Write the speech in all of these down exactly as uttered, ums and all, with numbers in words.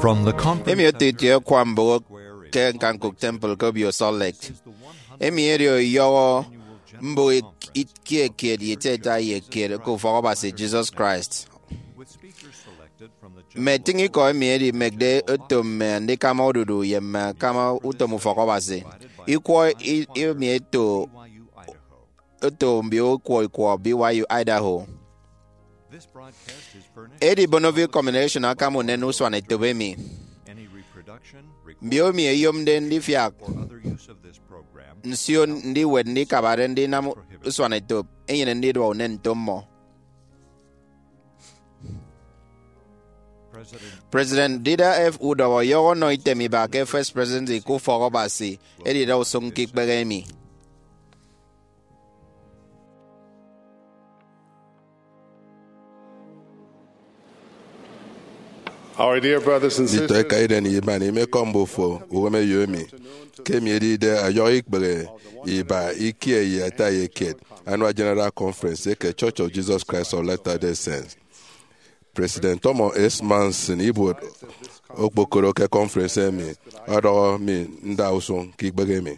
From the conference emi oto itie akwa mbụk ke ñkanñkụk temple ke Obio Salt Lake. Emi edi ọyọhọ mbụk ik- kiet kiet ye ita ita ye kiet ke ufọk Abasi Jesus Christ. Mme etịñ ikọ emi edimekde oto mme andikama odudu ye mme akama utom ufọk Abasi. Ikwọ i- emi eto oto mbio ikwọ ikwọ B Y U Idaho. Edi Bonneville Communication akam unen usuan etop emi. Mbio emi eyomde ndifiak nsio ndiwet ndikabade ndinam usuan etop enyene ndidua unen nto mmọ. President Dieter F. Udoh ọyọhọ ọnọ item iba ke First Presidency ke ufọk Abasi edida usụñ ke ikpehe emi. Our dear brothers and Nditọ sisters, eka iden ye iban, imekọm mbufo uwem eyo emi, ke emi edide ọyọhọ ikpehe iba ikie ye ata ye kiet Annual General Conference eke Church of Jesus Christ of Latter-day Saints. President Thomas S. Monson, ibuot okpokoro ke conference emi, ọdọhọ mi nda usụñ ke ikpehe emi.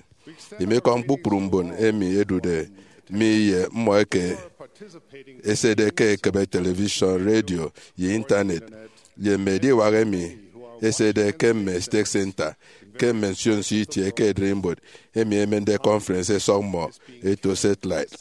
Imikọm kpukpru mbon emi ẹdude mi ye mmọ eke ẹsede ke ekebe television, radio, ye Intanet, ye mme ediwak emi ẹsede ke mme Stake Center, ke mme nsio nsio itie ke ererimbot emi ẹmende conference ẹsọk mmọ ẹto satellite.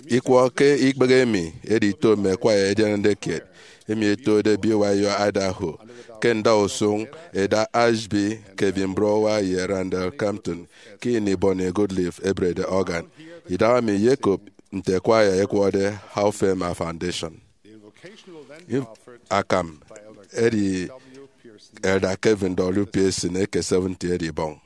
Ikwọ ke ikpehe emi edi ito mme kwaya ẹdianade kiet emi ẹtode B Y U Idaho ke ndausụñ ẹda Ashby, Kevin Brewer, ye Randall Crampton ke ini Bonnie Goodliffe eberede organ. Idaha mi iyekop nte kwaya ẹkwọde How Fair My Foundation. Akam edi Elder Kevin W. Pearson eke seventy edibọñ.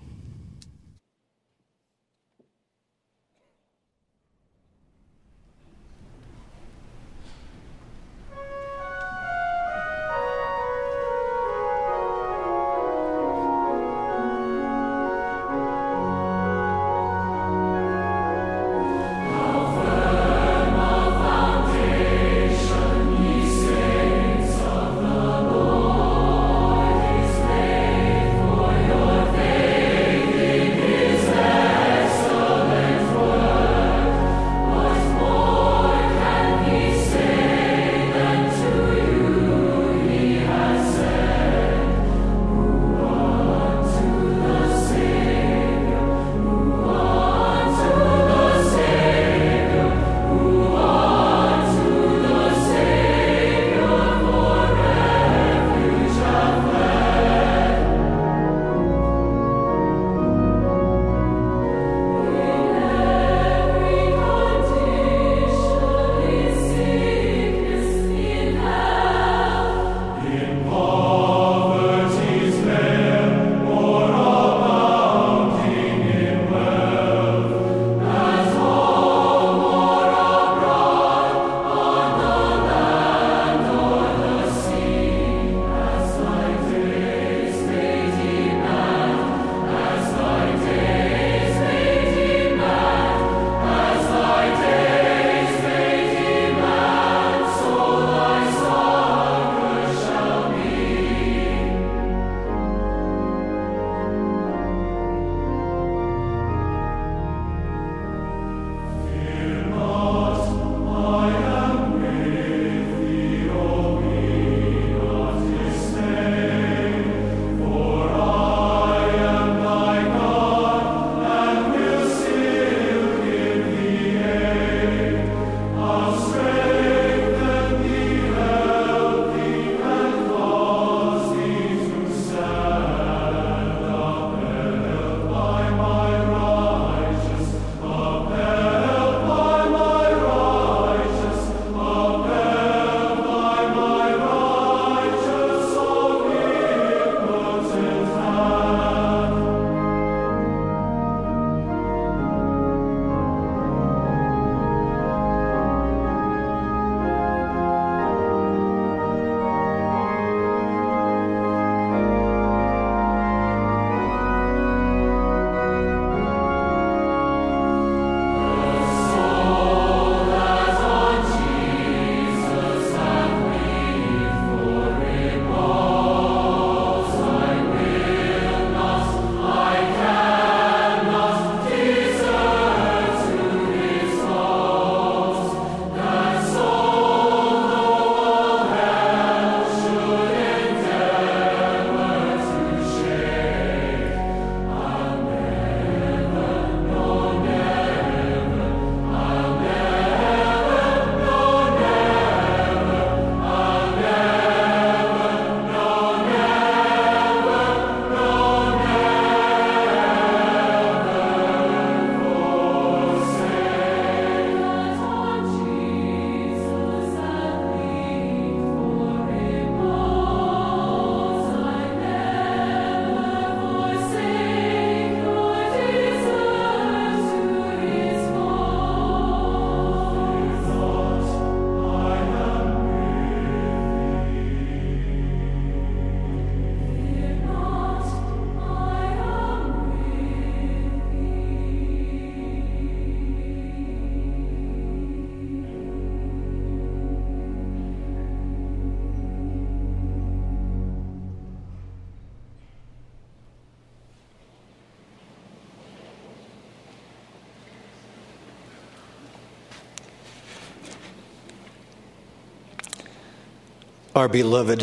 Our beloved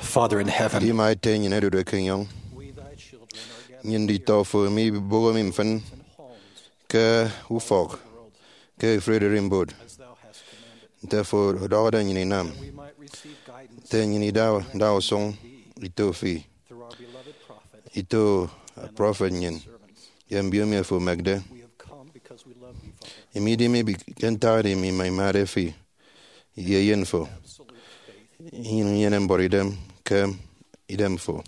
Father in heaven, Edima Ete nnyịn odude ke enyọñ, nnyịn nditọ fo miboho mi mfịn ke ufọk ke efuri ererimbot, nte fo ọdọhọde nnyịn inam, nte nnyịn ida ndausụñ ito fi, ito prọfet nnyịn, ye mbiomi fo emekde. Emi idi mi ke ntak emi mi imade fi ye eyen fo. Nnyịn inyene mbuọtidem ke idem fo.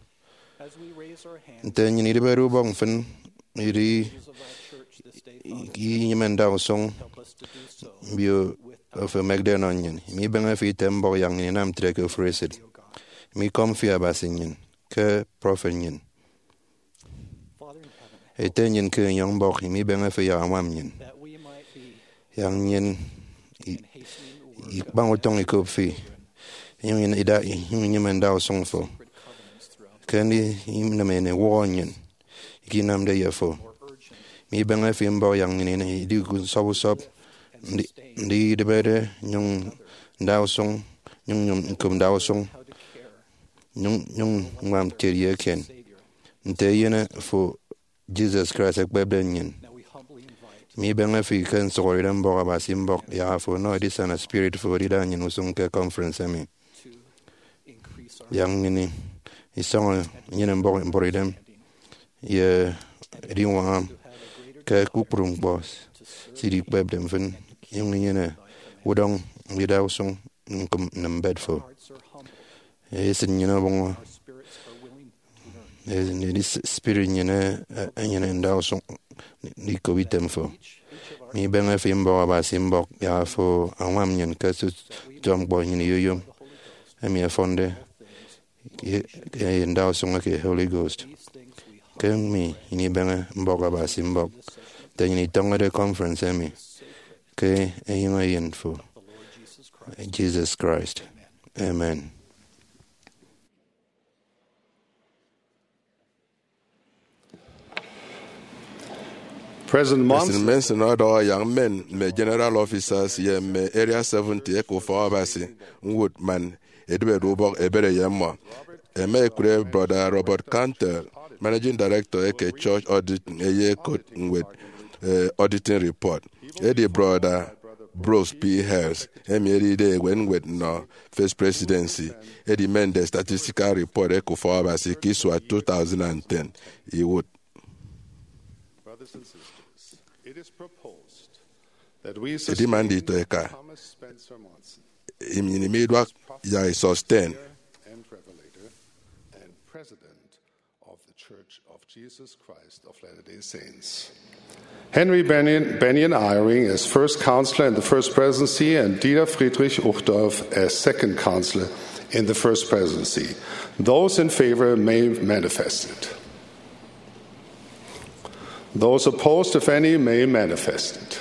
Nte nnyịn idịbede ubọk mfịn, idi inyịme ndausụñ mbio fo emekde ẹnọ nnyịn. Emi ibeñe fi ite mbọk yak nnyịn inam ntre ke ofụri esịt. Emi ikọm fi Abasi nnyịn ke prọfet nnyịn. Ete nnyịn ke enyọñ mbọk, emi ibeñe fi yak añwam nnyịn, yak nnyịn i- ikpañ utọñ ikop fi, inyụñ ida inyụñ inyịme ndausụñ fo ke ndi ineme ewụhọ nnyịn ikinamde ye fo. Emi ibeñe fi mbọk yak nnyịn idi nsọp usọp, ndi- ndi idịbede nyụñ ndausụñ, nyụñ nyụñ ñkop ndausụñ, nyụñ nyụñ ññwam kiet ye eken, nte eyen fo Jesus Christ ekpepde nnyịn. Emi ibeñe fi ke nsụhọdeidem mbọk Abasi mbọk yak afo ọnọ edisana spirit fo edida nnyịn usụñ ke conference emi, yak nnyịn isọñọ inyene mbọk mbuọtidem ye ediñwaña ke kpukpru ñkpọ se idikpepde mfịn, inyụñ inyene udọñ ndida usụñ ñkụm nnịm mbet fo. Esịt nnyịn ọbọñọ, edi spirit nnyịn enyene ndausụñ ndikop item fo. Emi ibeñe fi mbọk Abasi mbọk yak afo añwam nnyịn ke tutu ñkpọ nnyịn iyoyom, emi ẹfọnde ye, ye ndausụñ eke Holy Ghost. Ke emi nnyịn ibeñe mbọk Abasi mbọk, nte nnyịn itọñọde conference emi, ke enyịñ eyen fo, Jesus Christ. Amen. President Monson ọdọhọ yak mmen mme General Officers ye mme Area seventy eke Ufọk Abasi ñwụt man edịbede ubọk ebere ye mmọ. Ẹma ẹkụre Brọda Robert Cantwell, Managing Director eke Church Auditing, eyekot ñwed, eh, Auditing Report. Edi Brọda Brooks P. Hales, emi edide ewe ñwed nnọ First Presidency, edimende Statistical Report eke Ufọk Abasi ke isua two thousand and ten, iwụt. Edima nditọ eka, nnyịn imiduak yak isọsten. Of the Church of Jesus Christ of Latter-day Saints. Henry Bennion, Bennion Eyring as First Counselor in the First Presidency and Dieter Friedrich Uchtdorf as Second Counselor in the First Presidency. Those in favor may manifest it. Those opposed, if any, may manifest it.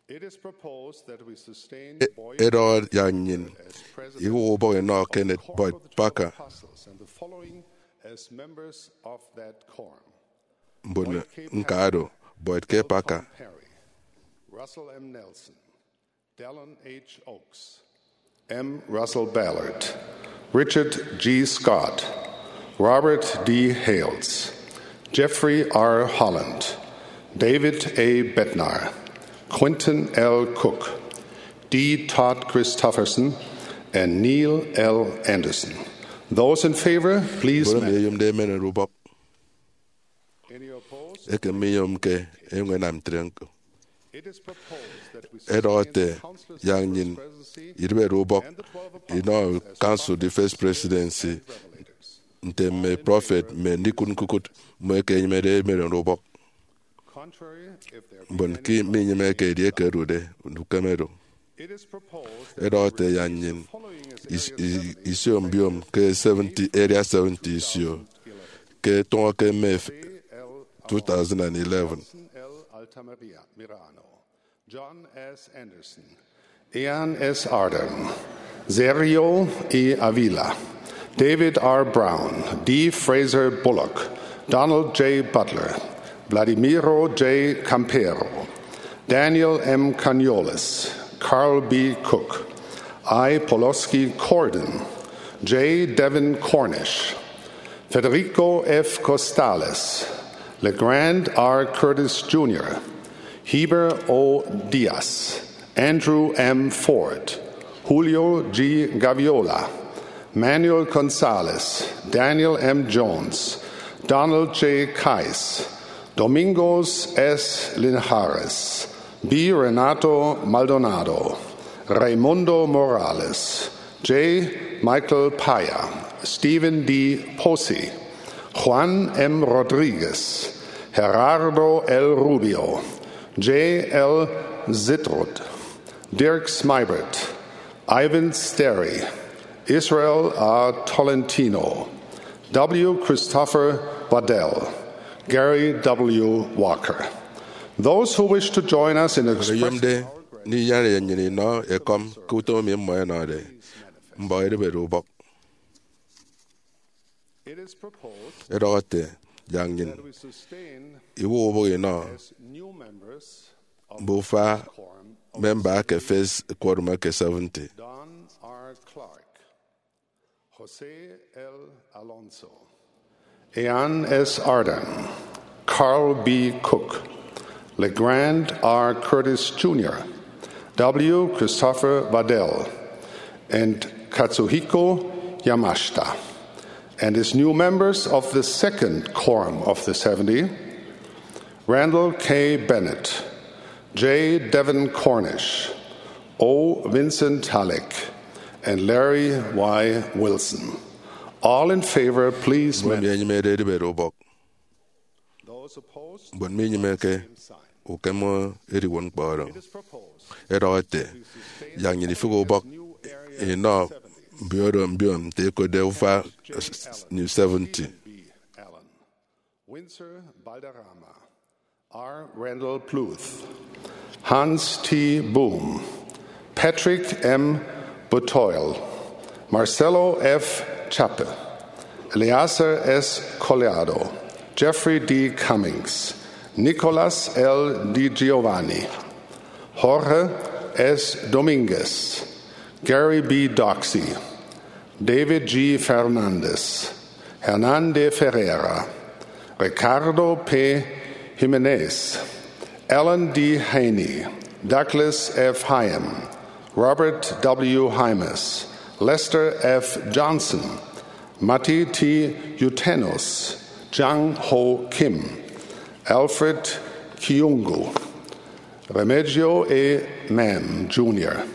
It is proposed that we sustain Boyd Edward Yanyin, as President, iwu ụbọghị nọ Kenneth Boyd Parker. Apostles and the following as members of that quorum: Mbon Boyd K. Nkado, Boyd K. Parker, Perry, Russell M. Nelson, Dallin H. Oaks, M. Russell Ballard, Richard G. Scott, Robert D. Hales, Jeffrey R. Holland, David A. Bednar, Quentin L. Cook, D. Todd Christofferson, and Neil L. Andersen. Those in favor, please. Boro mi eyomde emere ubọk. Eke mmiyomke enyuñ enam ntre ñko. Edọhọ ete, yak nnyịn idịbede ubọk inọ Council the First Presidency nte mme prọfet mme ndikụt ñkukụt mmọ eke ẹnyịmede emere ubọk. Mbon ke minyịmeke edieke ẹdude, ukem ẹdu. Edọhọ ete, yak nnyịn is- is- isio mbiom ke seventy, Area seventy isio ke tụñọ ke May two thousand and eleven. John S. Anderson, Ian S. Ardern, Sergio E. Avila, David R. Brown, D. Fraser Bullock, Donald J. Butler, Vladimiro J. Campero, Daniel M. Cañoles, Carl B. Cook, I. Poloski Cordon, J. Devin Cornish, Federico F. Costales, LeGrand R. Curtis Junior, Heber O. Diaz, Andrew M. Ford, Julio G. Gaviola, Manuel Gonzalez, Daniel M. Jones, Donald J. Kais, Domingos S. Linhares, B. Renato Maldonado, Raimundo Morales, J. Michael Paya, Stephen D. Posey, Juan M. Rodriguez, Gerardo L. Rubio, J. L. Zitrud, Dirk Smeibert, Ivan Sterry, Israel A. Tolentino, W. Christopher Waddell, Gary W. Walker. Those who wish to join us in expressing eyomde ndinyene nnyịn inọ ekọm ke utom emi mmọ ẹnọde mbọk edibede ubọk. It is proposed Edọhọ ete, yak nnyịn that we sustain iwụk ubọk inọ as new members of mbufa quorum of memba eke First Quorum eke seventy. Don R. Clark, Jose L. Alonso, Ian S. Ardern, Carl B. Cook, LeGrand R. Curtis Junior, W. Christopher Waddell, and Katsuhiko Yamashita, and as new members of the Second Quorum of the seventy, Randall K. Bennett, J. Devin Cornish, O. Vincent Halleck, and Larry Y. Wilson. All in favor, please. Mbon emi enyịmede edibede ubọk. Those opposed, mbon minyịmeke, ukem ediwot ñkpọ oro. It is proposed, edọhọ ete, yak nnyịn ifịk ubọk inọ mbio oro mbio nte ẹkotde ufa New seventy. Allen, Winsor Balderrama, R. Randall Pluth, Hans T. Boom, Patrick M. Botoil, Marcelo F. Chappe, Eleazar S. Collado, Jeffrey D. Cummings, Nicolas L. Di Giovanni, Jorge S. Dominguez, Gary B. Doxey, David G. Fernandez, Hernan de Ferreira, Ricardo P. Jimenez, Alan D. Haney, Douglas F. Hyam, Robert W. Hymas, Lester F. Johnson, Matti T. Utenus, Jang Ho Kim, Alfred Kiungu, Remigio E. Mam Junior,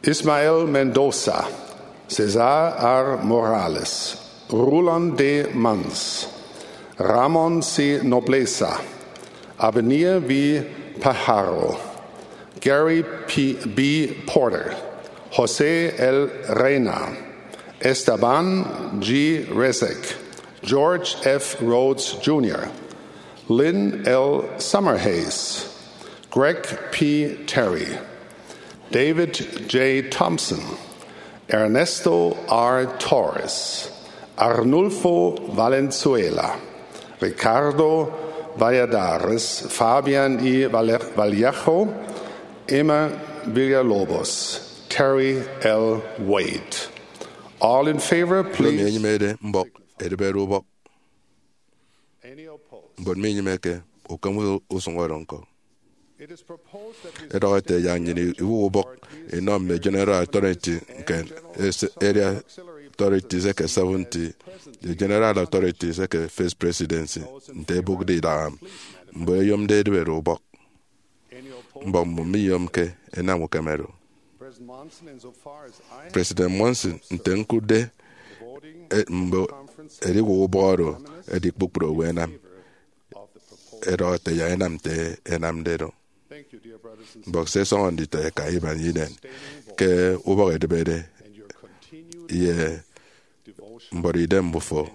Ismael Mendoza, Cesar R. Morales, Rulon D. Mans, Ramon C. Nobleza, Abenia V. Pajaro, Gary P. B. Porter, Jose L. Reina, Esteban G. Resek, George F. Rhodes Junior, Lynn L. Summerhays, Greg P. Terry, David J. Thompson, Ernesto R. Torres, Arnulfo Valenzuela, Ricardo Valladares, Fabian E. Valle-, Vallejo, Emma Villalobos, Terry L. Wade. All in favor, please. Emi enyịmede mbọk edibede ubọk. Mbon minyịmeke, ukem usụñ oro ñko. Edọhọ ete yak nnyịn iwụk ubọk inọ mme General Authority nke ese-, Area Authorities eke seventy, ye General Authorities eke First Presidency, nte ẹbụkde idaha mbon ẹyomde edibede ubọk. Mbọk mmọ miyomke ẹnam ukem oro. President Monson, nte ñkụtde, e, mbe ediwụk ubọk oro edi kpukpru owo ẹnam. Edọhọ ete yak ẹnam nte ẹnamde do. Mbọk se ẹsọñọ nditọ ẹka iban inen ke ubọk edịbede ye mbọrọ idem mbufo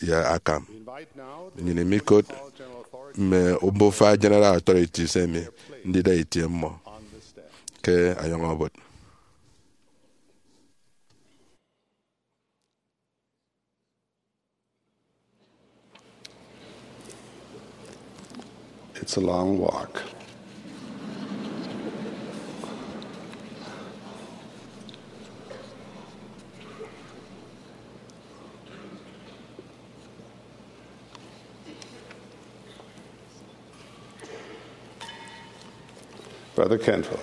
ye akam. Nnyịn imikot mme mbufa General Authorities emi ndida itie mmọ ke ayọñ obot. It's a long walk. Brother Canfield.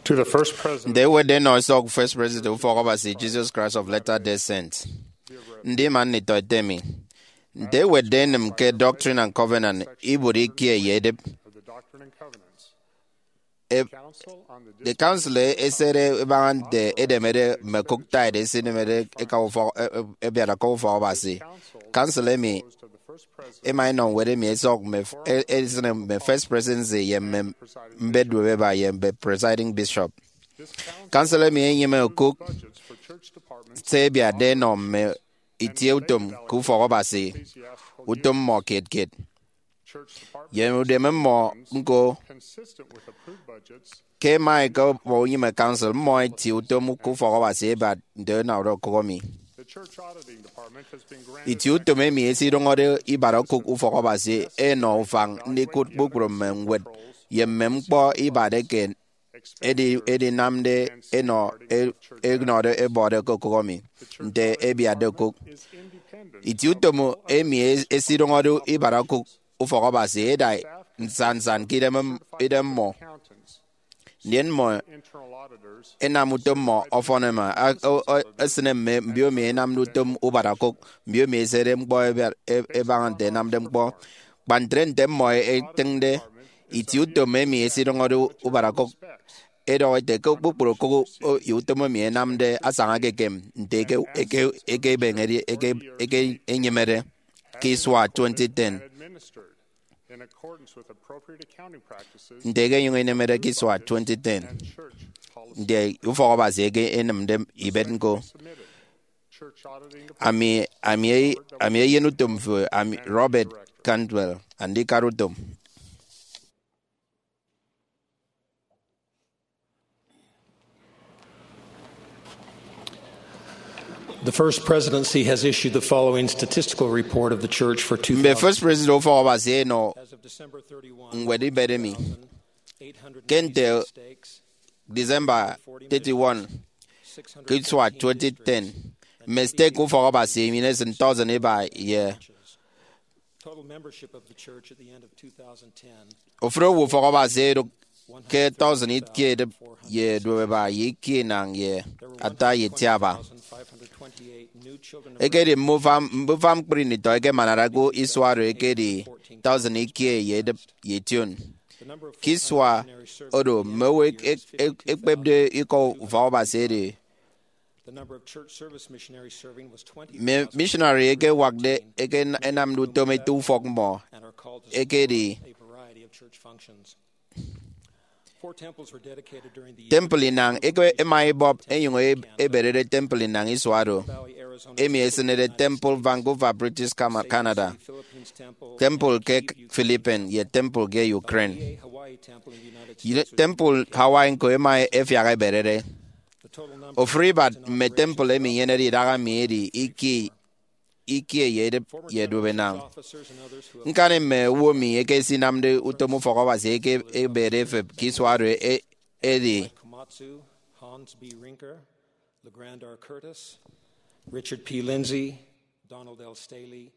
To the first president. Nte ewetde enọ esọk First President Ufọk Abasi Jesus Christ of Latter-day Saints, ndima nditọ ete mi, nte ewetde enịm ke Doctrine and Covenant, ibuot ikie ye edep. E- the Council esede ebaña nte edemede mme okụk tithe esinemede eka ufọk, e- e- ebiat okụk Ufọk Abasi. Council emi ẹma ẹnọ ñwed emi ẹsọk mme f- e- esịne mme First Presidency ye mme mbet duopeba ye mme Presiding Bishop. Council emi enyịme okụk se ẹbiatde ẹnọ mme itieutom ke Ufọk Abasi, utom mmọ kiet kiet ye udeme mmọ ñko. Ke ẹma ẹkebọ unyịme Council, mmọ ẹtie utom ke Ufọk Abasi ẹbat nte ẹnọde okụk emi. Itieutom emi esidụñọde ibat okụk Ufọk Abasi ẹnọ ufañ ndikụt kpukpru mme ñwed ye mme ñkpọ ibat eke edi- edinamde ẹnọ e- ẹnọde ẹbọde ke okụk emi nte ẹbiatde okụk. Itieutom emi e- esidụñọde ibat okụk Ufọk Abasi ẹda nsannsan ke idem, idem mmọ. Ndien mmọ ẹnam utom mmọ ọfọn ẹma, a- o- o- esịne mme mbiomi ẹnamde utom ubat okụk, mbiomi ẹsede ñkpọ ẹbiat e- ẹbaña nte ẹnamde ñkpọ. Kpa ntre, nte mmọ ẹtịñde, itieutom emi esidụñọde ubat okụk ẹdọhọ ete ke kpukpru okụk o- ye utom emi ẹnamde asaña ekekem nte eke- eke- ekebeñede eke- eke enyịmede ke isua twenty ten. Nte eke enyụñ inemede ke isua twenty ten, nte Ufọk Abasi eke enịmde ibet ñko. Ami, ami, ami eyen utom fo, ami, Robert Cantwell, andikara utom. The First Presidency has issued the following statistical report of the Church for Mme two thousand. First President Ufọk Abasi ẹnọ as of December thirty-one, ñwed ibet emi. Ke nte December thirty-one, ke isua twenty ten, mme stake Ufọk Abasi emi esịn thousand iba ye Total membership of the church at the end of two thousand ten. Ofụri owo Ufọk Abasi ẹdụk ke thousand ikie edịp ye duopeba ye ikie inañ ye ata ye itiaba. Ekedi mme ufan, mme ufan ñkpri nditọ ẹkemanade ke isua oro ekedi thousand ikie ye edịp ye ition. Ke isua oro, mme owo ek- ek- ek- ekpepde ikọ Ufọk Abasi edi The number of church service missionaries serving was twenty. Mme missionary eke ẹwakde eke ẹnamde utom ete ufọk mmọ ekedi temple inañ eke ẹma ẹbọp ẹnyụñ e- eberede temple inañ isua oro, emi esịnede Temple Vancouver, British Cam- Canada, temple ke Philippines, ye temple ke Ukraine. Temple Hawaii ñko ẹma ẹfiak ẹberede. Ofụri ibat mme temple emi inyenede idaha mi edi ikie, ikie ye edịp ye duop inañ. Ñkani mme owo mi eke esinamde utom Ufọk Abasi eke ebede efep ke isua oro e- edi Komatsu, Hans B. Rinker, LeGrand R. Curtis, Richard P. Lindsay, Donald L. Staley,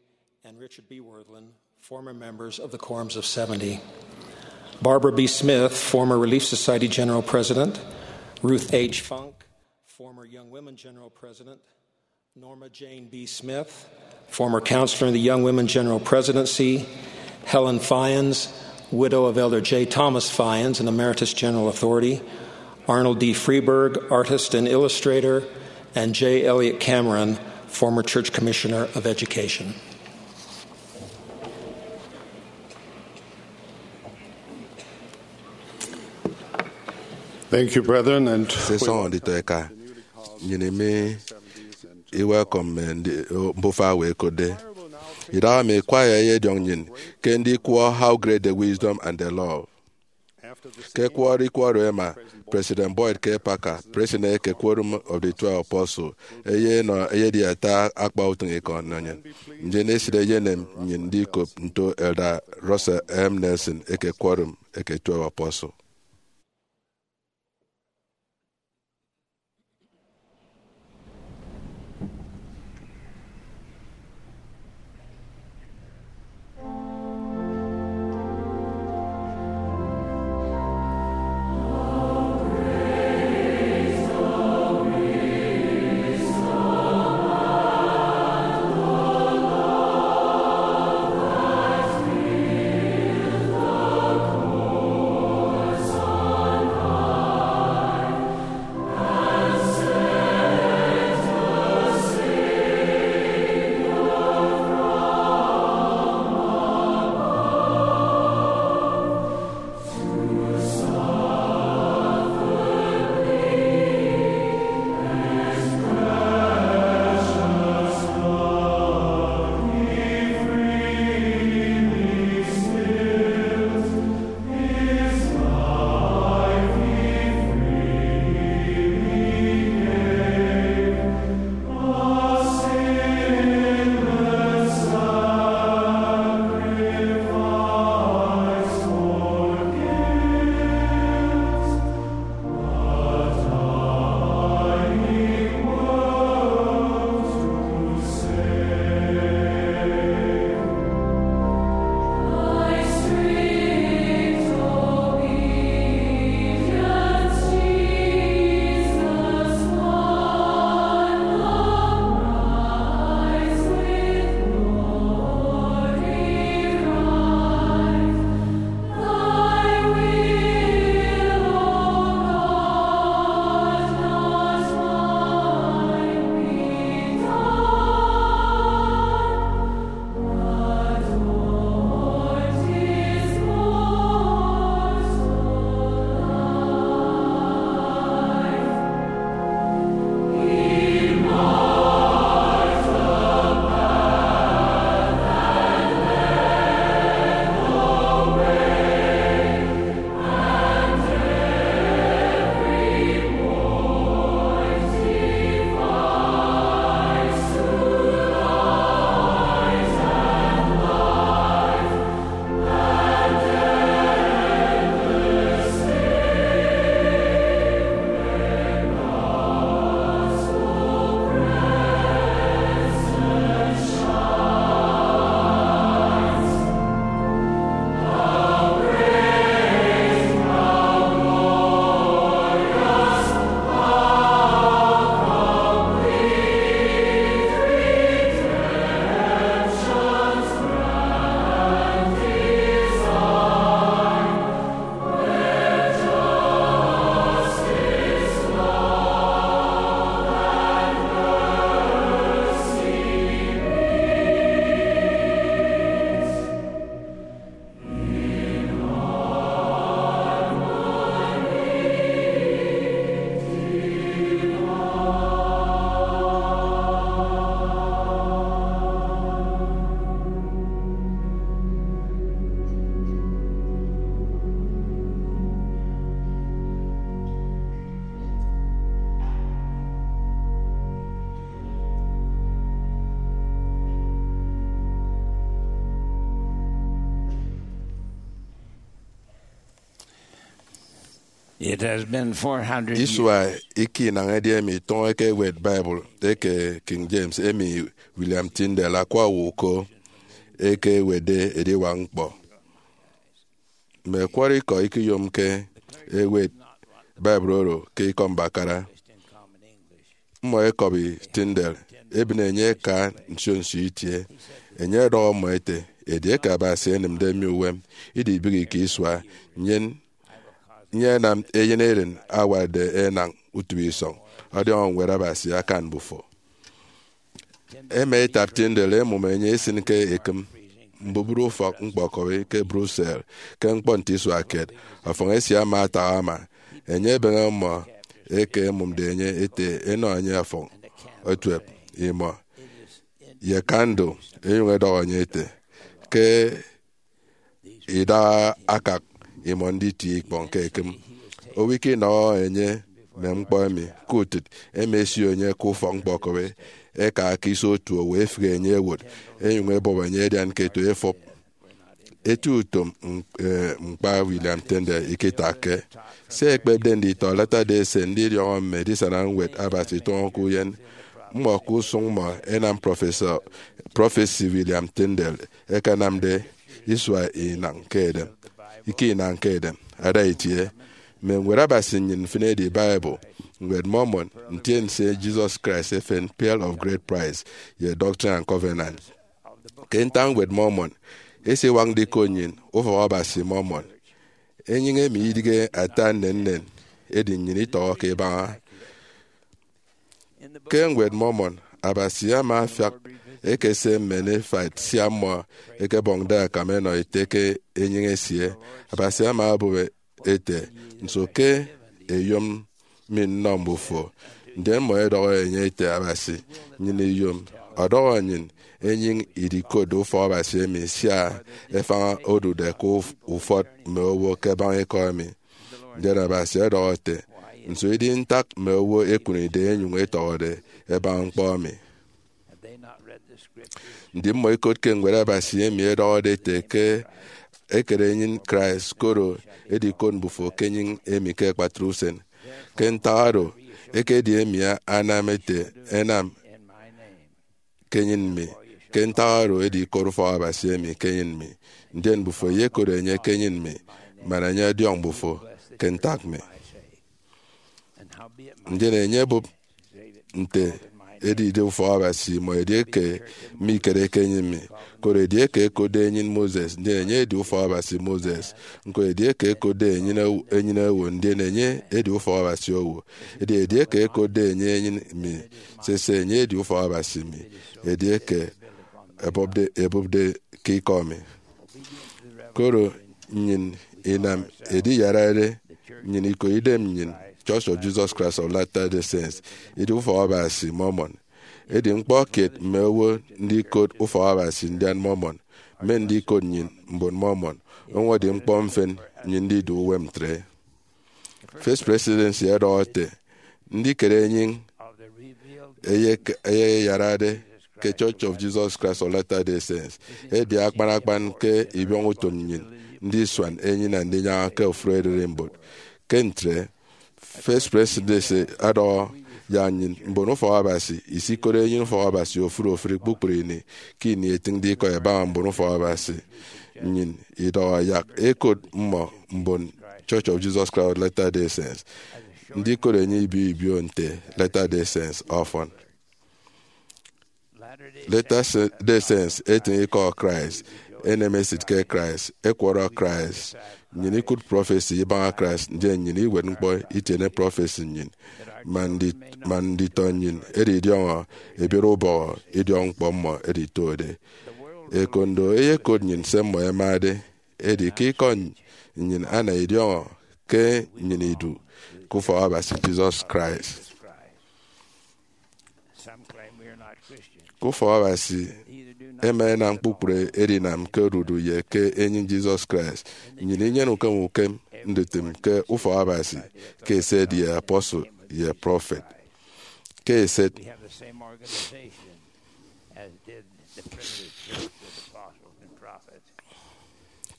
and Richard B. Wirthlin, former members of the Quorums of seventy. Barbara B. Smith, former Relief Society General President, Ruth H. Funk, former Young Women General President, Norma Jane B. Smith, former counselor in the Young Women General Presidency, Helen Fyans, widow of Elder J. Thomas Fyans, an emeritus general authority, Arnold D. Freeberg, artist and illustrator, and J. Elliott Cameron, former Church Commissioner of Education. Thank you, brethren, and sisọñọ nditọ eka. Nnyịn emi iwelcome mme ndi- mbufa we ekotde. Idaha mi, choir eyediọñ nnyịn ke ndikwọ How Great the Wisdom and the Love. Ke ẹkwọrọ ikọ oro ẹma, President Boyd K. Packer, President eke Quorum of the Twelve Apostles, eyenọ eyedi ata akpa utịñikọ nnọ nnyịn. Ndien esịt eyenem nnyịn ndikop nto Elder Russell M. Nelson eke Quorum eke Twelve Apostles. It has been four hundred years. Isua ika inañ edi emi itọñọke ewet Bible eke King James, emi William Tyndale, akwa owo uko, eke ewetde ediwak ñkpọ. Mme ẹkwọrọ ikọ ikiyomke ewet Bible oro ke ikọ mbakara. Mmọ ẹkọbi Tyndale, ebịne enye eka nsio nsio itie. Enye ọdọhọ mmọ ete, edieke Abasi enịmde mi uwem idibịghi ke isua, nnyịn nyenam eyen eren awatde enañ utịbe isọñ ọdiọñọ Ñwed Abasi akan mbufo. Ẹma ẹtap Tyndale ẹmụm enye esịn ke ekịm mbubru ufọk ñkpọkọbi ke Brussels ke ñkpọ nte isua kiet. Ọfọñ esie ama atak ama. Enye ebeñe mmọ eke ẹmụmde enye ete ẹnọ enye ọfọñ ẹtuep imọ ye kandụl, ẹnyụñ ẹdọhọ enye ete ke idaha akak imọ nditie ikpọñ ke ekịm. Owo ikinọhọ enye mme ñkpọ emi. Ke utịt, ẹma ẹsio enye ke ufọk ñkpọkọbi, ẹka ke iso otu owo ẹfịghe enye ẹwot, ẹnyụñ ẹbọp enye ẹdian ke eto efọp. Eti utom ñk-, eh, ñkpa William Tyndale ikitakke. Se ẹkpepde nditọ Latter-day Saint ndidiọñọ mme edisana Ñwed Abasi itọñọke uyen. Mmọ ke usụñ mmọ ẹnam prọfesi, prọfesi William Tyndale ẹkenamde isua inañ ke edem, ika inañ ke edem. Ada itie, mme Ñwed Abasi nnyịn mfịn edi Bible, Ñwed Mormon, Ntiense Jesus Christ efen, Pearl of Great Price, ye Doctrine and Covenants. Ke ntak Ñwed Mormon, esiwak ndikot nnyịn Ufọk Abasi Mormon. Enyịñ emi idịghe ata nnennen, edi nnyịn itọhọke ibaña. Ke Ñwed Mormon, Abasi ama afiak ekese mme Nephite sia mmọ ẹkebọñde akam ẹnọ ete ke enyịñ esie. Abasi ama obụp ete, nso ke ẹyom mi nnọ mbufo? Ndien mmọ ẹdọhọ enye ete, Abasi nnyịn iyom ọdọhọ nnyịn enyịñ idikotde Ufọk Abasi emi, sia efañ odude ke uf-, ufọt mme owo ke ẹbaña ikọ emi. Ndien Abasi ọdọhọ ete, nso idi ntak mme owo ẹkụnide ẹnyụñ ẹtọhọde ẹbaña ñkpọ emi? Ndi mmọ ikotke Ñwed Abasi emi ẹdọhọde ete ke ẹkere enyịñ Christ, koro edikot mbufo ke enyịñ emi ke akpatre usen? Ke ntak oro, ekedi emi anam ete, ẹnam ke enyịñ mi. Ke ntak oro edikot Ufọk Abasi emi ke enyịñ mi, ndien mbufo ẹyekot enye ke enyịñ mi, man enye ọdiọñ mbufo ke ntak mi. Ndien enye ebụp nte edide Ufọk Abasi imọ edieke mikereke enyịñ mi. Koro edieke ẹkotde enyịñ Moses, ndien enye edi Ufọk Abasi Moses. Ñko edieke ẹkotde enyịñ ew-, enyịñ owo, ndien enye edi Ufọk Abasi owo. Edi edieke ẹkotde enye enyịñ mi, sese, enye edi Ufọk Abasi mi, edieke ẹbọpde, ẹbụpde ke ikọ mi. Koro nnyịn inam ediyarade nnyịn iko idem nnyịn, Church of Jesus Christ of Latter-day Saints, idi Ufọk Abasi Mormon. Edi ñkpọ kiet mme owo ndikot Ufọk Abasi ndian Mormon, mme ndikot nnyịn mbon Mormon, ọñwọñọde ñkpọ mfịn nnyịn ndidu uwem ntre. First Presidency ẹdọhọ ete, ndikere enyịñ eyek-, eyeyarade ke Church of Jesus Christ of Latter-day Saints edi akpan akpan ke ibiọñ utom nnyịn ndisuan enyịn andinyaña ke ofụri ererimbot. Ke ntre, First Presidency ọdọhọ yak nnyịn mbon Ufọk Abasi isikot enyịñ Ufọk Abasi ofụri ofụri kpukpru ini ke ini etịñde ikọ ẹbaña mbon Ufọk Abasi. Nnyịn idọhọ yak ẹkot mmọ mbon Church of Jesus Christ of Latter-day Saints. Ndikot enye ibio ibio nte Latter-day Saints ọfọn. Latter-day Saints etịñ ikọ Christ, enem esịt ke Christ, ẹkwọrọ Christ. Nnyịn ikụt prọfesi ibaña Christ, ndien nnyịn iwet ñkpọ itiene prọfesi nnyịn, man ndi-, man nditọ nnyịn ẹdidiọñọ ẹbiere ubọhọ idiọkñkpọ mmọ ẹditode. Ekondo eyekot nnyịn se mmọ ẹmade, edi ke ikọ nnyịn ana idiọñọ ke nnyịn idu ke Ufọk Abasi Jesus Christ. Ke Ufọk Abasi ẹma ẹnam kpukpru edinam ke odudu ye ke enyịñ Jesus Christ. Nnyịn inyene ukem ukem ndutịm ke Ufọk Abasi, ke eset ye apostle ye prophet. Ke eset,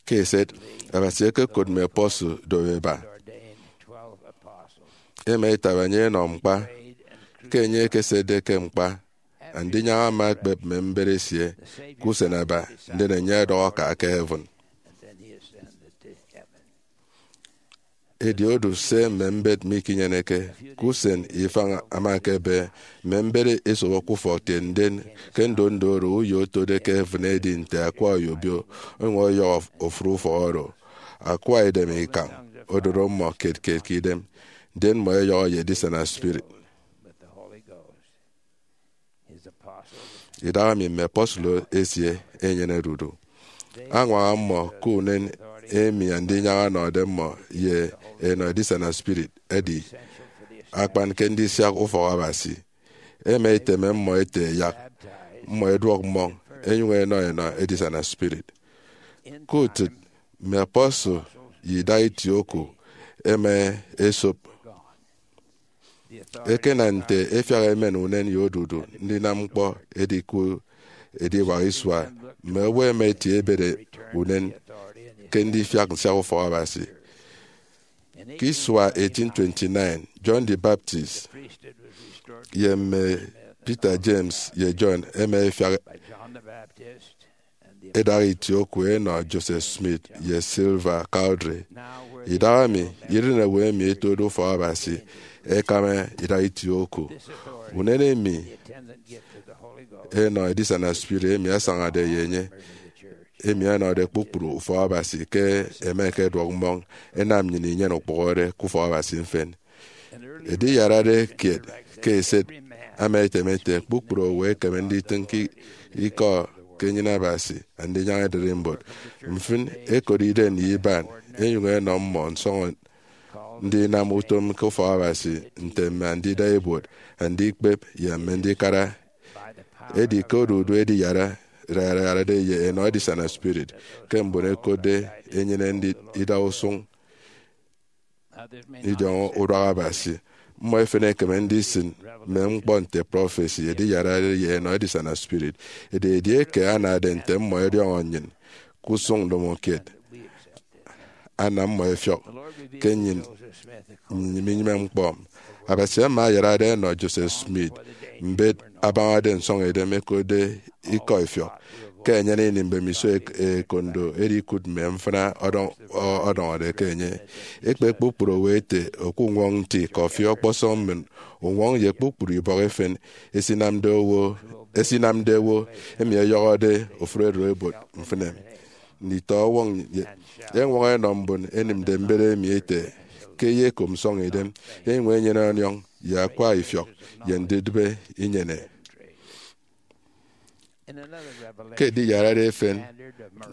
ke eset, Abasi ekekot mme apostle do eba. Ema etaba enye enọ ñkpa. Ke enye ekesede ke ñkpa, andinyaña ama ekpep mme mbet esie ke usen aba, ndien enye ọdọhọ ke aka heaven. Edi odu se mme mbet mikinyeneke. Ke usen ifañ ama ekebe, mme mbet esobo ke ufọk, tie ndien ke ndondo oro uyo otode ke heaven edi nte akwa oyobio onyuñ ọyọhọ ofuri ufọk oro. Akwa edem ikañ odoro mmọ kiet kiet ke idem, ndien mmọ eyọhọ ye edisana spirit. Idahaemi mme apostle esie enyenede udu. Añwaña mmọ ke unen emi andinyaña ọnọde mmọ ye enọ edisana spirit edi akpan ke ndisiak ufọk Abasi. Ema eteme mmọ ete yak mmọ eduọk mmọñ, enyuñ enọ enọ edisana spirit. Ke utịt, mme apostle ye idaha itie oku ema esop. Ekena nte efiak emen unen ye odudu ndinam ñkpọ edi ke ediwak isua, mme owo ema etie ebede unen ke ndifiak nsiak ufọk Abasi. Ke isua eighteen twenty-nine, John the Baptist ye mme Peter, James, ye John ema efiak edaha itie oku enọ Joseph Smith ye Silver Cowdery. Idahaemi, iren owo emi etode ufọk Abasi ekama idaha itie oku. Unen emi enọ edisana spirit emi asañade ye enye, emi ọnọde kpukpru ufọk Abasi ke ẹma ẹkeduọk mmọñ, enam nnyịn inyene ukpụhọde ke ufọk Abasi mfịn. Ediyarade kiet ke eset ama etem ete kpukpru owo ekeme nditịñ ke ikọ ke enyịn Abasi, andinyaña ererimbot. Mfịn, ẹkot idem ye iban, ẹnyụñ ẹnọ mmọ nsọñọ ndinam utom ke ufọk Abasi, nte mme andida ibuot, andikpep, ye mme ndikara. Edi ke odudu ediyarade ye enọ edisana spirit ke mbon ẹkotde enyene ndi- ida usụñ idiọñọ uduak Abasi. Mmọ efen ẹkeme ndisịn mme ñkpọ nte prọfesi ediyarade ye enọ edisana spirit. Edi edieke anade nte mmọ ẹdiọñọ nnyịn ke usụñ ndomokiet, ana mmọ ẹfiọk ke nnyịn, nnyịn minyịme ñkpọ. Abasi ama ayarade enọ Joseph Smith mbet abañade nsọñidem ẹkotde ikọ ifiọk. Ke enyene ini mbemiso ek- ekondo edi ikụt mme mfịna ọdọñ- ọ- ọdọñọde ke enye. Ekpe kpukpru owo ete, oku uñwọñ nti, kọfi, ọkpọsọñ mmịn, uñwọñ ye kpukpru ibọk efen esinamde owo, esinamde owo emi ọyọhọde ofụri ererimbot mfịn emi. Nditọ ọwọñ ye- ẹñwọñọ ẹnọ mbon ẹnịmde mbet emi ete ke ẹyekom nsọñidem, ẹnyụñ ẹnyene ọniọñ ye akwa ifiọk ye ndidịbe inyene. Ke ediyarade efen,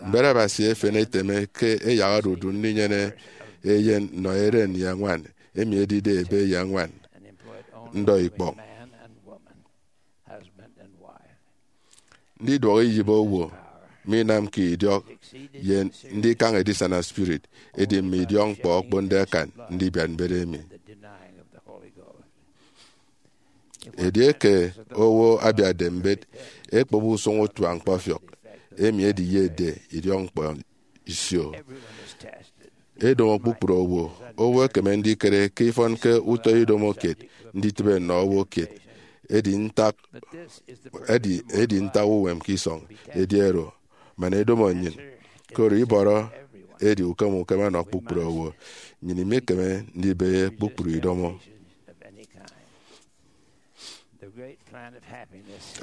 mbet Abasi efen eteme ke ẹyak odudu ndinyene eyen nnọ eren ye ñwan, emi edide ebe ye ñwan, ndọ ikpọñ. Ndiduọk iyịp owo minamke idiọk ye ndikañ edisana spirit, edi mme idiọkñkpọ okponde akan ndibiat mbet emi. Edieke owo abiatde mbet ekpep usụñ utuañ ñkpọfiọk, emi ediyetde idiọkñkpọ isio. Edomo kpukpru owo. Owo ekeme ndikere ke ifọnke utọ idomo kiet nditịbe nnọ owo kiet. Edi ntak, edi, edi ntak uwem ke isọñ edi oro, man edomo nnyịn. Koro ibọrọ edi ukem ukem ọnọ kpukpru owo. Nnyịn imekeme ndibehe kpukpru idomo.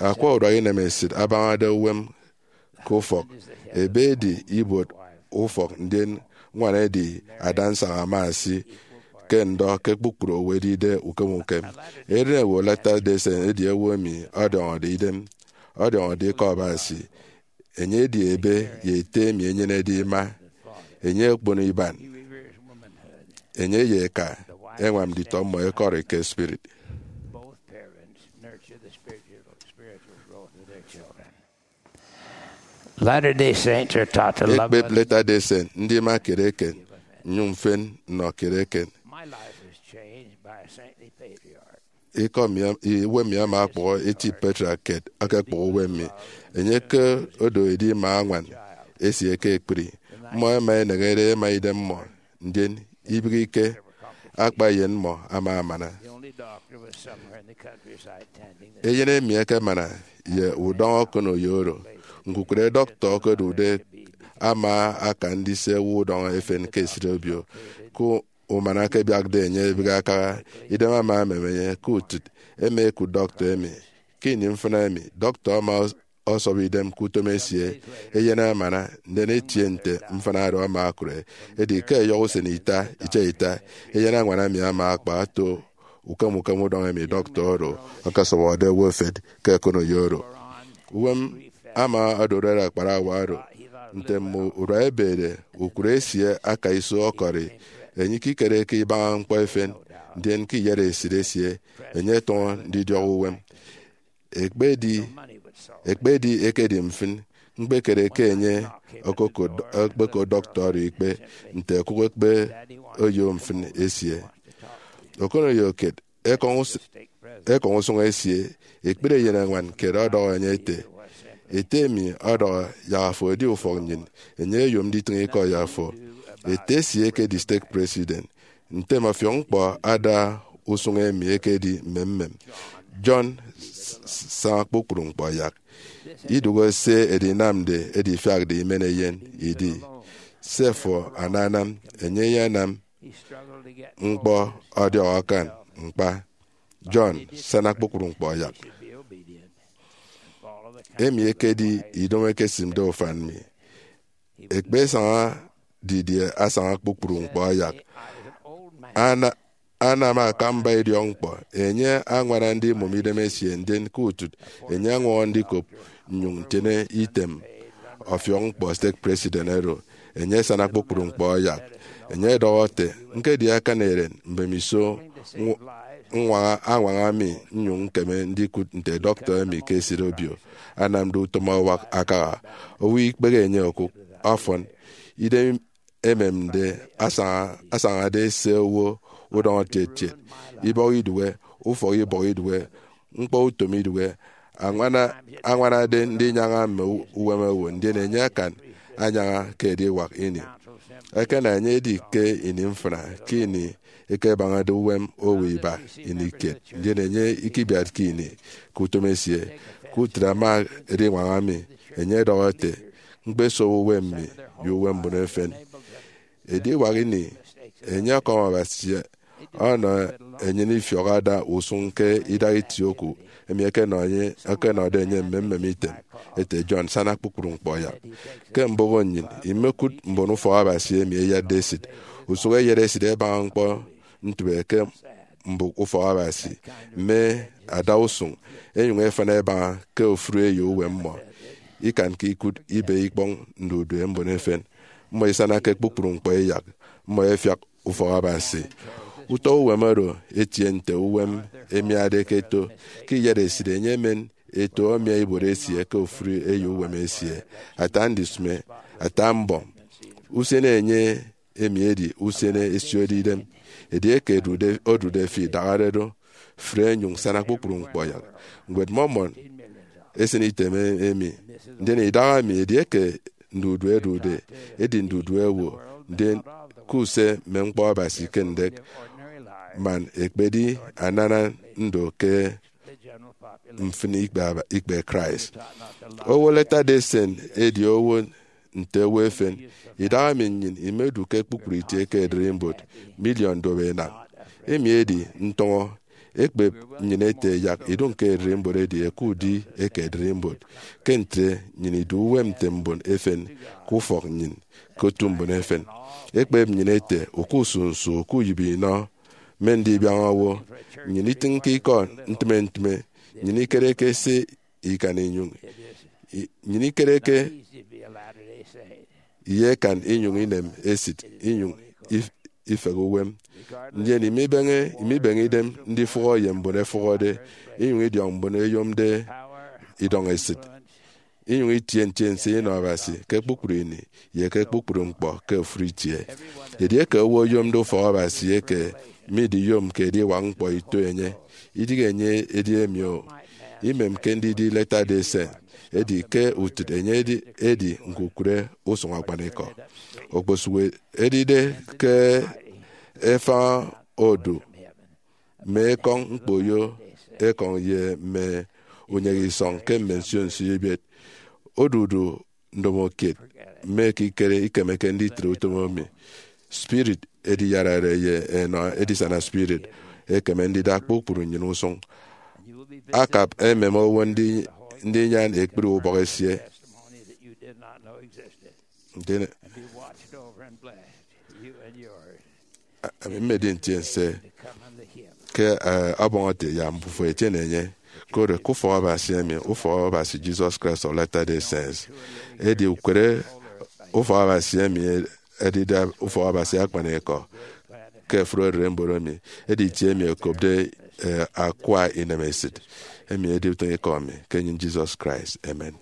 Akwa uduak inemesịt abañade uwem ke ufọk. Ebe edi ibuot ufọk, ndien ñwan edi adansaña ama esi ke ndọ ke kpukpru owo edide ukem ukem. Eren owo Latter-day Saint edi owo emi ọdiọñọde idem, ọdiọñọde ikọ Abasi. Enye edi ebe ye ete emi enyenede ima. Enye okpono iban. Enye ye eka ẹñwam nditọ mmọ ẹkọri ke spirit. Latter-day Saints are taught to love Ekpep others. Latter-day Saint ndima kiet eken, nnyụñ mfen nnọ kiet eken. My life was changed by a saintly patriarch. Ikọ mi am- i- uwem mi ama ọkpọhọ eti patriarch kiet ọkọkpọhọ uwem mi. Enye ke odo edima añwan esie ke ekpri. Mmọ ẹma ẹneñede ẹma idem mmọ, ndien ibịghike akpa eyen mmọ ama amana. Eyen emi ekemana ye udọñ okoneyo oro. Ñkukụre dọktọ okodude ama aka ndise owo udọñ efen ke esịt obio. Ke umana akebiakde enye ebịghi akaha, idem ama emem enye. Ke utịt, ema ekụt dọktọ emi. Ke ini mfịna emi, dọktọ ama ọsọbọ idem ke utom esie. Eyen amana, ndien etie nte mfịna oro ama okụre. Edi ke ẹyọhọ usen ita, itiaita, eyen añwan emi ama akpa ato ukem ukem udọñ emi dọktọ oro ọkọsọbọde owo efet ke okoneyo oro. Uwem ama odorot akparawa oro. Nte mme urua ebede, ukụre esie aka iso ọkọri enye ikikere ke ibaña ñkpọ efen, ndien ke iyatesịt esie, enye etọñọ ndidiọk uwem. Ekpedi, ekpedi ekedi mfịn, ñkpekere ke enye okokot, okpekot dọktọ oro ikpe nte okụk ekpe oyo mfịn esie. Okoneyo kiet, ekọñ us-, ekọñ usụñ esie, ekpri eyen añwan kiet ọdọhọ enye ete, "Ete emi ọdọhọ yak afo edi ufọk nnyịn, enye oyom nditịñ ikọ ye afo." Ete esie ekedi stake president. Ntem ọfiọk ñkpọ ada usụñ emi ekedi mmemmem. John s-, s-, saña kpukpru ñkpọ yak. Idụhe se edinamde edifiakde imen eyen idi. Se fo ananam, enye eyenam ñkpọ ọdiọk akan ñkpa. John, sana kpukpru ñkpọ yak. Emi ekedi idomo ekesịmde ufan mi. Ekpesaña didie asaña kpukpru ñkpọ yak? Ana-, anam akamba idiọkñkpọ. Enye añwana ndimụm idem esie, ndien ke utịt, enye añwọñọ ndikop nnyụñ ntiene item ọfiọk ñkpọ stake president oro. Enye asana kpukpru ñkpọ yak. Enye ọdọhọ ete, "Ñkedi akan eren mbemiso ñw-, ññwaña, añwaña mi nnyụñ ñkeme ndikụt nte dọktọ emi ke esịt obio anamde utom awak akaha. Owo ikpehe enye okụk, ọfọn, idem ememde asaña, asañade se owo udọñọ tiet tiet, ibọk idụhe, ufọk ibọk idụhe, ñkpọ utom idụhe, añwana, añwanade ndinyaña mme u-, uwem owo, ndien enye akan anyaña ke ediwak ini." Ekena enye edi ke ini mfịna, ke ini ekebañade uwem owo iba ini kiet, ndien enye ikibiatke ini ke utom esie. Ke utịt ama ediñwaña mi, enye ọdọhọ ete, "Ñkpesobo uwem mi ye uwem mbon efen." Ediwak ini, enye ọkọm Abasi ọnọ enyịn ifiọk ada usụñ ke idaha itie oku emi ẹkenọ enye, ẹkenọde enye mmemmem item, ete, "John, sana kpukpru ñkpọ yak." Ke mbụk nnyịn, imekụt mbon ufọk Abasi emi ẹyatde esịt. Usụk ẹyat esịt ẹbaña ñkpọ ntịbe ke mbụk ufọk Abasi, mme adausụñ, ẹnyụñ ẹfan ẹbaña ke ofụri eyo uwem mmọ. Ikanke ikụt ibe ikpọñ ndudue mbon efen. Mmọ isana ke kpukpru ñkpọ iyak, mmọ ẹfiak ufọk Abasi. Utọ uwem oro etie nte uwem emiade ke eto. Ke iyatesịt, enye emen eto ọmia ibuot esie ke ofụri eyo uwem esie, ata ndisịme, ata mbọm. Usen enye emi edi usen esiode idem. Edieke odude, odude fi idahare do, fre nyụñ sana kpukpru ñkpọ yak. Ñwed Mormon esịn item emi, ndien idaha mi, edieke ndudue ẹdude, edi ndudue owo, ndien ke use mme ñkpọ Abasi ke ndek, man ekpedi anana ndo ke mfịn ikpe aba-, ikpe Christ. Owo Latter-day Saint edi owo nte owo efen. Idaha mi nnyịn imedu ke kpukpru itie ke ererimbot, miliọn duoenañ. Emi edi ntọñọ. Ekpep nnyịn ete yak idụñ ke ererimbot edi eke udi eke ererimbot. Ke ntre, nnyịn idu uwem nte mbon efen ke ufọk nnyịn, ke otu mbon efen. Ekpep nnyịn ete, oku nsunsu, oku uyịbe inọ, mme ndibiaña owo. Nnyịn itịñke ikọ ntịme ntịme. Nnyịn ikereke se ikan inyụñ i-, nnyịn ikereke ye ekan inyụñ inem esịt, inyụñ if-, ifehe uwem. Ndien imibeñe, imibeñe idem ndifụhọ ye mbon ẹfụhọde, inyụñ idiọk mbon ẹyomde idọñ esịt, inyụñ itie ntien se inọ Abasi ke kpukpru ini ye ke kpukpru ñkpọ ke ofụri itie. Edieke owo oyomde ufọk Abasi eke midiyomke ediwak ñkpọ ito enye, idịghe enye edi emi o. Imemke ndidi Latter-day Saint, edi ke utịt enye edi, edi ñkukụre usụñ akpanikọ. Okposụk edide ke efañ odu, mme ekọñ ñkpoyo ekọñ ye mme unyek isọñ ke mme nsio nsio ibet. Odudu ndomo kiet mme ekikere ikemeke nditre utom emi. Spirit ediyarare ye enọ edisana spirit ekeme ndida kpukpru nnyịn usụñ. Akap emem owo ndi- ndinyan ekpri ubọk esie. Ndien ami mmedi ntiense ke, eh, ọbọñ ete ya mbufo etiene enye, koro ke ufọk Abasi emi, ufọk Abasi Jesus Christ of Latter-day Saints. Edi ukere ufọk Abasi emi edide ufọk Abasi akpanikọ ke ofụri ererimbot emi, edi itie emi okopde, eh, akwa inemesit emi edi utịñikọ mi ke enyịñ Jesus Christ. Amen.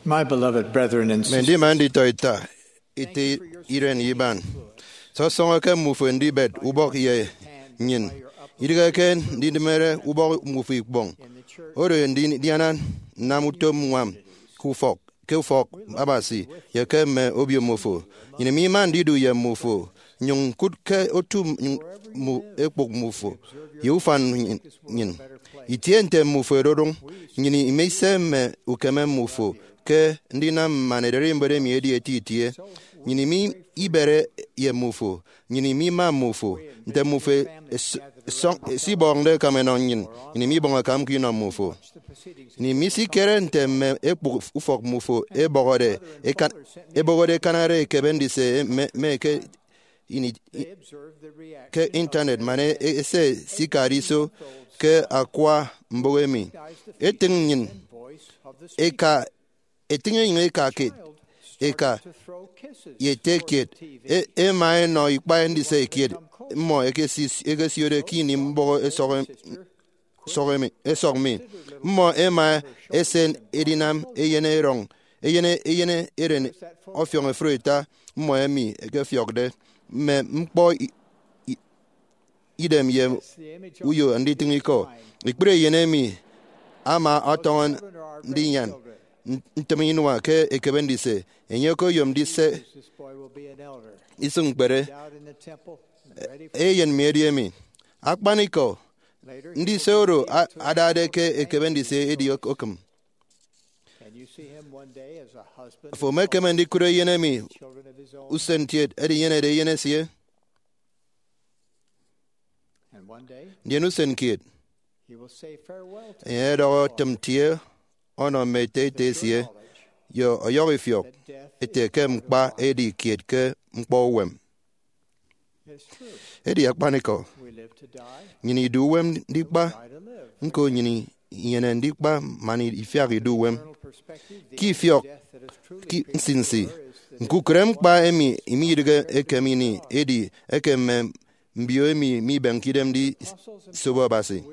My beloved brethren and sisters, ndima nditọ ita, ite iren iban, sọsọñọ ke mmufo ndibet ubọk ye nnyịn, idịghe ke ndidịmere ubọk mmufo ikpọñ. Oro ndidiana nnam utom ñwam ke ufọk, ke ufọk Abasi ye ke mme obio mmufo. Nnyịn mima ndidu ye mmufo, nyụñ ñkụt ke otu mu ekpụk mmufo ye ufan nnyịn. Itie nte mmufo ẹdodụñ, nnyịn imise mme ukeme mmufo ke ndinam man ererimbot emi edi eti itie. Nnyịn imi ibere ye mmufo, nnyịn imi ima mmufo. Nte mmufo es- esọñ- esibọñde ẹkam ẹnọ nnyịn, nnyịn imi ibọñ ẹkamke inọ mmufo. Nnyịn imi isikere nte mme ekpụk ufọk mmufo ẹbọhọde ẹkan- ẹbọhọde ẹkanare ekebe ndise mme mme ke ini ke Intanet man e- ese sikade iso ke akwa mbụk emi. Etịñ nnyịn eka, etịñ enyịñ eka kiet, eka ye ete kiet, e- ema enọ ikpa ndise kiet mmọ ekesi- ekesiode ke ini mbọhọ esọk em- esọk emi- esọk mi. Mmọ ema esen edinam eyen erọñ, eyen eyen eren ọfiọñ efuri ita mmọ emi ẹkefiọkde mme ñkpọ i- i- idem ye uyo nditịñ ikọ. Ekpri eyen emi ama ọtọñọ ndinyan ntịm inua ke ekebe ndise, enye okoyom ndise isịñ ñkpere. Eyen mi edi emi. Akpanikọ, ndise oro a- adade ke ekebe ndise edi ok- okịm. Afo emekeme ndikụt eyen emi usen kiet edinyenede eyen esie. Ndien usen kiet, enye ọdọhọ tịm tie ọnọ mme ete ete esie, ye ọyọhọ ifiọk ete ke ñkpa edi kiet ke ñkpọ uwem. Edi akpanikọ, nnyịn idu uwem ndikpa, ñko nnyịn inyene ndikpa man ifiak idu uwem. Ke ifiọk ke nsinsi, ñkukere ñkpa emi imidịghe ekem ini edi ekem mme mbio emi mibemke idem ndisobo Abasi.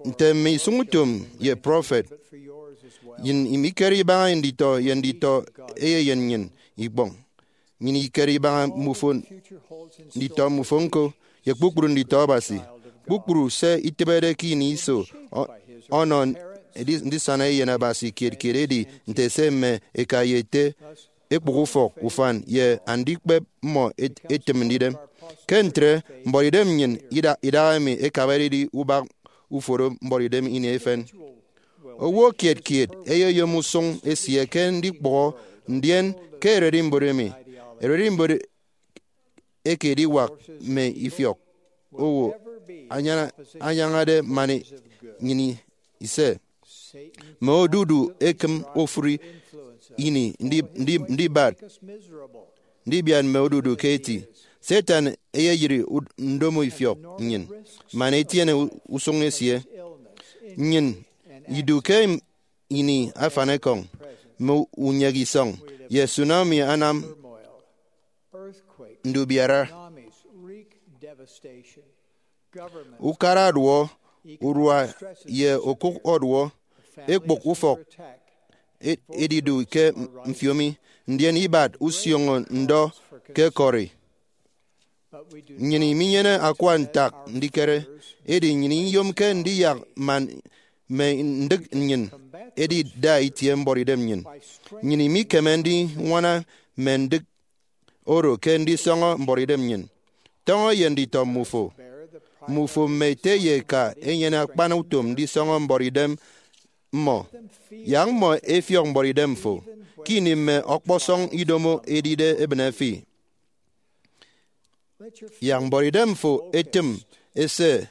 Nte mme isụñutom ye prọfet, nnyịn imikere ibaña nditọ ye nditọ eyeyen nnyịn ikpọñ. Nnyịn ikere ibaña mmufo, nditọ mmufo ñko, ye kpukpru nditọ Abasi. Kpukpru se itịbede ke ini iso ọ- ọnọ ndi- ndisana Eyen Abasi kiet kiet edi nte se mme eka ye ete, ekpụk ufọk, ufan, ye andikpep mmọ et- etịm ndidem. Ke ntre, mbuọtidem nnyịn ida- idahaemi ekabade edi ubak uforo mbuọtidem ini efen. Owo kiet kiet eyeyom usụñ esie ke ndikpụhọ, ndien ke ererimbot emi, ererimbot eke ediwak mme ifiọk owo anyana- anyañade man nnyịn ise. Mme odudu ekịm ofụri ini ndi- ndi- ndibat ndibiat mme odudu ke eti. Satan eyeyịri ud- ndomo ifiọk nnyịn man etiene u- usụñ esie. Nnyịn idu ke im- ini afanekọñ, mme unyek isọñ ye tsunami anam ndubiara. Ukara ọduọ, urua ye okụk ọduọ, ekpụk ufọk e- edidu ke mfiomi, ndien ibat usioño ndọ ke ekọri. Nnyịn iminyene akua ntak ndikere, edi nnyịn iyomke ndiyak man mme ndịk nnyịn edida itie mbuọtidem nnyịn. Nnyịn imikeme ndiñwana mme ndịk oro ke ndisọñọ mbuọtidem nnyịn. Tọñọ ye nditọ mmufo. Mmufo mme ete ye eka ẹnyene akpan utom ndisọñọ mbuọtidem mmọ. Yak mmọ ẹfiọk mbuọtidem fo ke ini mme ọkpọsọñ idomo edide ebịne fi. Yak mbuọtidem fo etịm ese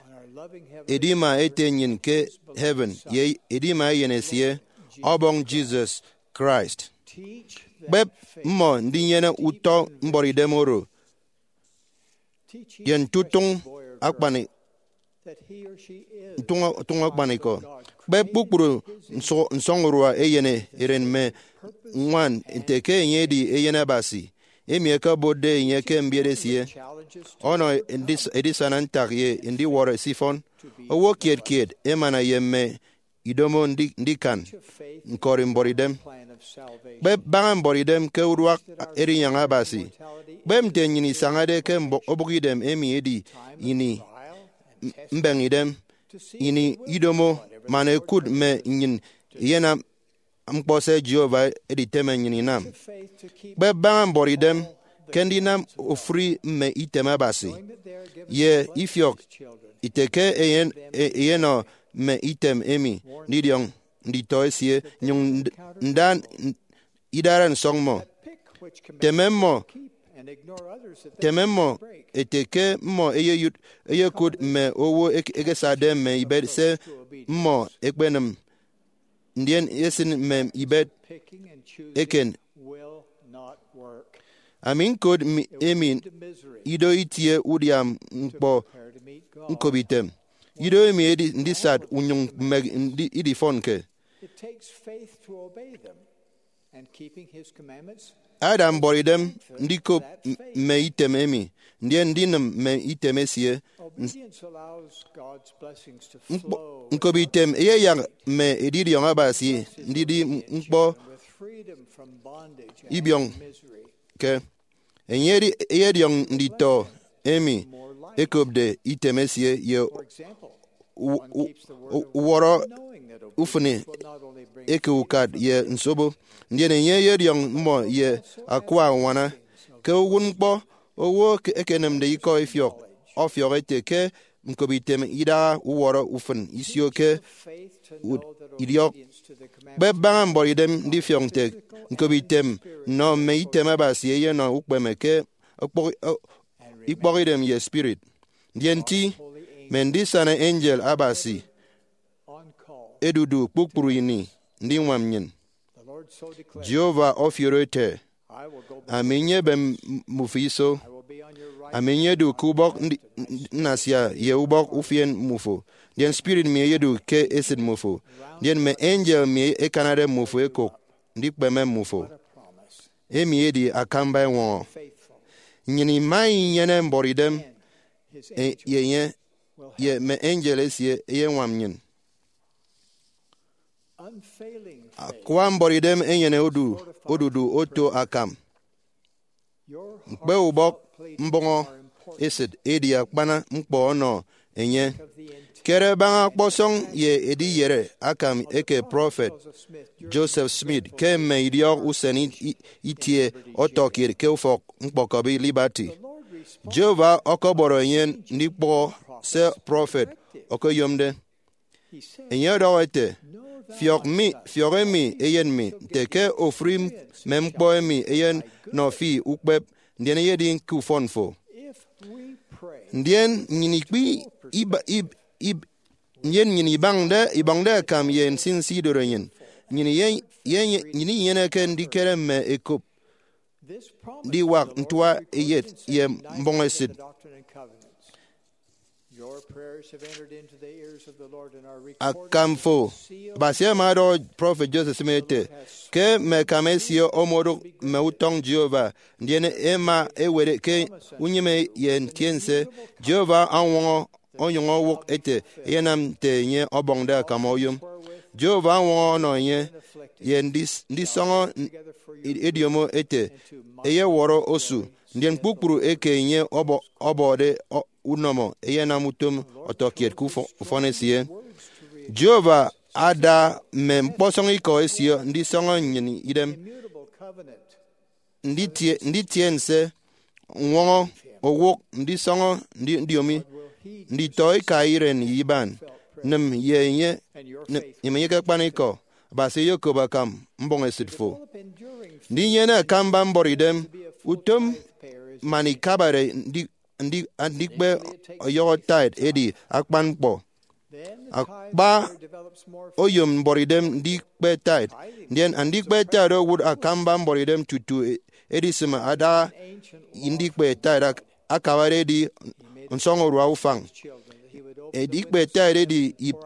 edima Ete nnyịn ke heaven ye edima Eyen esie, Ọbọñ Jesus Christ. Kpep mmọ ndinyene utọ mbuọtidem oro ye ntụtụñ akpani- ntụñ- ntụñ akpanikọ. Kpep kpukpru nsọ- nsọñurua eyen eren mme ñwan nte ke enye edi Eyen Abasi, emi ẹkebotde enye ke mbiet esie, ọnọ edis- edisana ntak ye ndiwọrọ esifọn. Owo kiet kiet emana ye mme idomo ndi- ndikan ñkọri mbuọtidem. Kpep baña mbuọtidem ke uduak erinyaña Abasi. Kpep nte nnyịn isañade ke mbọ- obụkidem emi edi ini m- mbeñidem, ini idomo, man ẹkụt mme nnyịn iyenam ñkpọ se Jehovah editeme nnyịn inam. Kpep baña mbuọtidem ke ndinam ofụri mme item Abasi, ye ifiọk ite ke eyen- e- eyenọ mme item emi ndidiọñ nditọ esie, nyụñ nd- nda n- idara nsọk mmọ. Teme mmọ, teme mmọ ete ke mmọ eyeyụt eyekụt mme owo ek- ekesade mme ibet se mmọ ekpenịm, ndien esịn mme ibet eken. Ami ñkot mi- emi ido itie udia ñkpọ ñkobitem. Ido emi edi ndisat unyụñ mmek ndi- idifọnke. Ada mbuọtidem ndikop m- mme item emi, ndien ndinịm mme item esie. Ns- ñkpọ- ñkobitem eyeyak mme edidiọñ Abasi ndidi ñkpọ ibiọñ ke. Enye edi- eyediọñ nditọ emi ekopde item esie ye u- u- u- uwọrọ ufịn eke ukat ye nsobo. Ndien enye eyediọñ mmọ ye akua añwana. Ke uwụtñkpọ, owo ke- ekenịmde ikọ ifiọk ọfiọk ete ke ñkobitem idaha uwọrọ ufịn isio ke ud- idiọk. Kpep baña mbuọtidem ndifiọk nte ñkobitem nnọ mme item Abasi eyenọ ukpeme ke ikpọk- ikpọkidem ye spirit. Ndien ti, mme ndisana angel Abasi edudu kpukpru ini ndiñwam nnyịn. Jehovah ọfiọrọ ete, Ami nyebe mmufo iso. Ami nyedu ke ubọk ndi- nnasia ye ubọk ufien mmufo, ndien spirit mi eyedu ke esịt mmufo, ndien mme angel mi ekanade mmufo ekok ndikpeme mmufo. Emi edi akamba eñwọñọ. Nnyịn ima inyene mbuọtidem e- ye enye, ye mme angel esie eyeñwam nnyịn. Akwa mbuọtidem enyene odu- odudu oto akam. Ñkpe ubọk mbọñọ esịt edi akpan ñkpọ ọnọ enye. Kere baña ọkpọsọñ ye ediyere akam eke prọfet Joseph Smith ke mme idiọk usen i- i- itie ọtọkiet ke ufọk ñkpọkọbi Liberty. Jehovah ọkọbọrọ enye ndikpọhọ se prọfet okoyomde. Enye ọdọhọ ete, Fiọk mi, fiọk emi eyen mi, nte ke ofụri mme ñkpọ emi eyenọ fi ukpep, ndien eyedi ke ufọn fo. Ndien nnyịn ikpi iba- ib- ib- ndien nnyịn ibañde ibọñde akam ye nsinsi idorenyin, nnyịn ye- ye- nnyịn inyeneke ndikere mme ekop ndiwak ntua eyet ye mbọñ esịt. Your prayers have entered into the ears of the Lord and are recorded. Akam fo, Abasi ama ọdọhọ prọfet Joseph Smith ete, ke mme akam esie omodụk mme utọñ Jehovah, ndien ẹma ẹwet ke unyịme ye ntiense. Jehovah ọñwọñọ onyụñ owụk ete, ẹyenam nte enye ọbọñde akam oyom. Jehovah ọñwọñọ ọnọ enye ye ndis- ndisọñọ n- ediomo ete, ẹyewọrọ osu, ndien kpukpru eke enye ọbọ- ọbọde ọ- unọmọ ẹyenam utom ọtọkiet ke ufọ- ufọn esie. Jehovah ada mme ñkpọsọñ ikọ esie ndisọñọ nnyịn idem, nditie- nditiense, ññwọñọ, owụk, ndisọñọ, ndi- ndiomi, nditọ ika iren ye iban, nịm ye enye, nịm- nịm enye ke akpanikọ. Abasi eyekop akam mbọñ esịt fo. Ndinyene akamba mbuọtidem utom man ikabare ndi- ndi- andikpe ọyọhọ tithe edi akpan ñkpọ. Akpa oyom mbuọtidem ndikpe tithe, ndien andikpe tithe owụt akamba mbuọtidem tutu e- edisịm adaha ndikpe tithe ak- akabade edi nsọñurua ufañ. Edikpe tithe edi ib-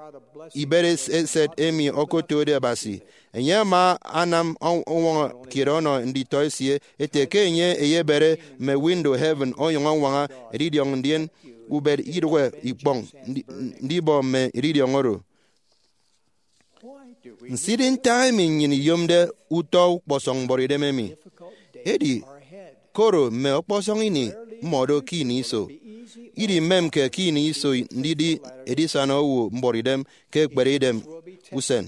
ibet es- eset emi okotode Abasi. Enye ama anam ọ- uñwọñọ kiet ọnọ nditọ esie ete ke enye eyebere mme window heaven onyụñ añwaña edidiọñ ndien ubet idụhe ikpọñ ndi- ndibọ mme edidiọñ oro. Nsidịghe ntak emi nnyịn iyomde utọ ukpọsọñ mbuọtidem emi. Edi koro mme ọkpọsọñ ini mmọdo ke ini iso. Idimemke ke ini iso ndidi edisana owo mbuọtidem ke ekpere idem usen.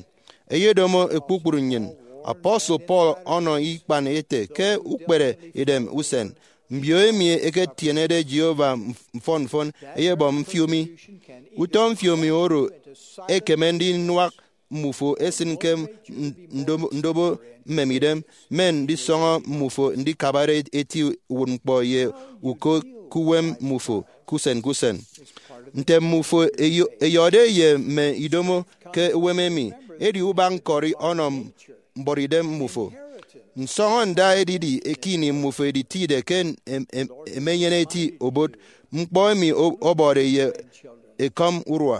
Eyedomo kpukpru nnyịn. Apostle Paul ọnọ ikpan ete ke ukpere idem usen, mbio emi ẹketienede Jehovah mf- mfọn mfọn ẹyebọ mfiomi. Utọ mfiomi oro ekeme ndinuak mmufo esịn ke n- ndobo- ndobo mmemidem, mme ndisọñọ mmufo ndikabare eti uwụtñkpọ ye uko ke uwem mmufo ke usen ke usen. Nte mmufo eyo- eyọde ye mme idomo ke uwem emi, edi ubak ñkọri ọnọ mbuọtidem mmufo. Nsọñọnda edidi ke ini mmufo editide ke em- em- emenyene eti obot ñkpọ emi o- ọbọde ye ekọm urua.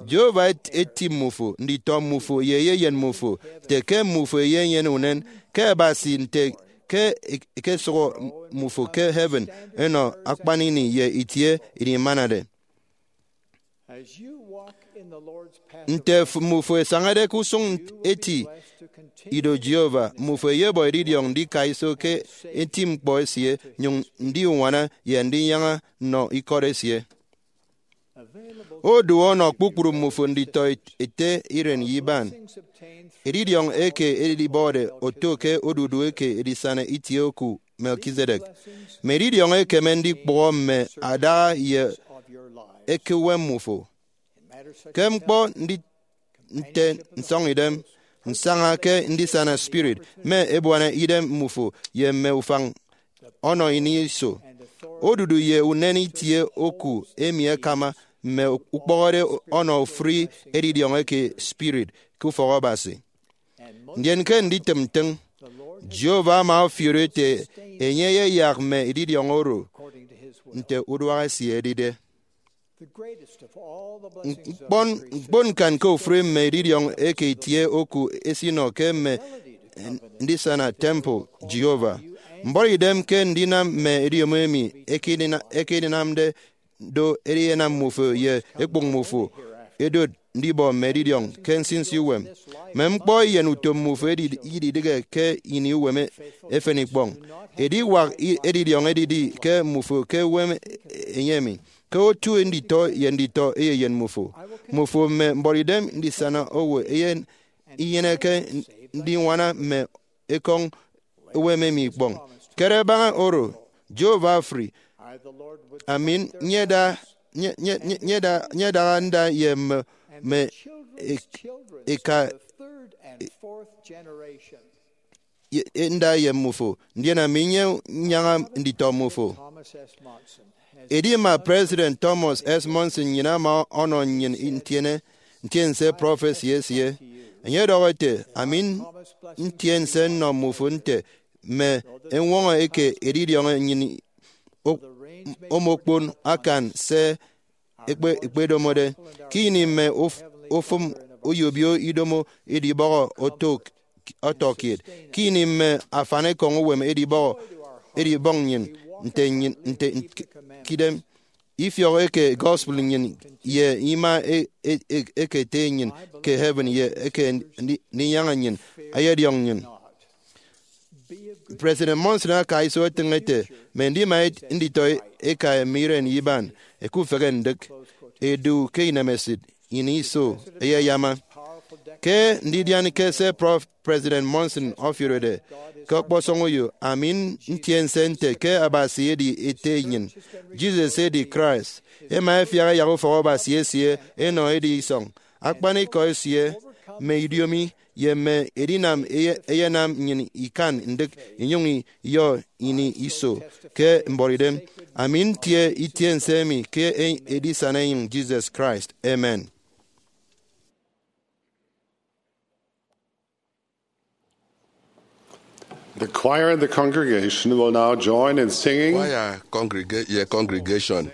Jehovah et- eti mmufo, nditọ mmufo, ye eyeyen mmufo, nte ke mmufo eyenyene unen ke Abasi, nte ke e- ekesụhọ mmufo ke heaven ẹnọ akpan ini ye itie ini imanade. Nte f- mmufo ẹsañade ke usụñ eti ido Jehovah, mmufo ẹyebọ edidiọñ ndika iso ke eti ñkpọ esie, nyụñ ndi uñwana ye ndinyaña nnọ ikọt esie. Odu ọnọ kpukpru mmufo nditọ ete iren ye iban. Edidiọñ eke edibọde oto ke odudu eke edisana itie oku Melchizedek. Mme edidiọñ ekeme ndikpụhọ mme adaha ye eke uwem mmufo. Ke ñkpọ ndi- nte nsọñidem, nsaña ke ndisana spirit, mme ebuana idem mmufo ye mme ufañ ọnọ ini iso. Odudu ye unen itie oku emi ẹkama mme ukpọhọde ọnọ ofụri edidiọñ eke spirit ke ufọk Abasi. Ndien ke nditịm ntịñ, Jehovah ama ofiori ete enye eyeyak mme edidiọñ oro nte uduak esie edide. Ñkpọn ñkponñkan ke ofụri mme edidiọñ eke itie oku esinọ ke mme ndisana temple Jehovah. Mbuọtidem ke ndinam mme ediomo emi ẹkedina- ẹkedinamde do eyenam mmufo ye ekpụk mmufo ẹdot ndibọ mme edidiọñ ke nsinsi uwem. Mme ñkpọ eyen utom mmufo edi- ididịghe ke ini uwem e- efen ikpọñ. Ediwak i- edidiọñ edidi ke mmufo ke uwem enye emi, ke otu nditọ ye nditọ eyeyen mmufo. Mmufo mme mbuọtidem ndisana owo eyen inyeneke ndiñwana mme ekọñ uwem emi ikpọñ. Kere baña oro, Jehovah afri, ami nyeda- nye- nye- nye- nyeda- nyedaha nda ye mme mme ik- ika ye- nda ye mmufo, ndien ami nyenyaña nditọ mmufo. Edi ima President Thomas S. Monson nnyịn ama ọnọ nnyịn ntiene ntiense prọfesi esie. Enye ọdọhọ ete, ami ntiense nnọ mmufo nte mme eñwọñọ eke edidiọñ nnyịn o- omokpon akan se ekpe- ekpedomode, ke ini mme uf- ufụm oyobio idomo edibọhọ oto- ọtọkiet, ke ini mme afanikọñ uwem edibọhọ edibọñ nnyịn nte nnyịn nte k- kidem, ifiọk eke gospel nnyịn ye ima e- e- e- eke ete nnyịn ke heaven ye eke ndi- ndinyaña nnyịn ẹyediọñ nnyịn. President Monson aka iso etịñ ete, mme ndima nditọ eka mme iren iban ẹkufehe ndịk, ẹdu ke inemesịt ini iso ẹyeyama. Ke ndidian ke se Prof- President Monson ọfiọrede ke ọkpọsọñ uyo, ami ntie nse nte ke Abasi edi Ete enyịn, Jesus edi Christ, ẹma ẹfiak ẹyak ufọk Abasi esie ẹnọ edi isọñ, akpanikọ esie, mme idiomi, ye mme edinam eye- ẹyenam nnyịn ikan ndịk inyụñ iyọ ini iso ke mbuọtidem. Ami ntie itie nse emi ke e- edisana enyịñ Jesus Christ. Amen. The choir and the congregation will now join in singing. Kwaya congregation ye congregation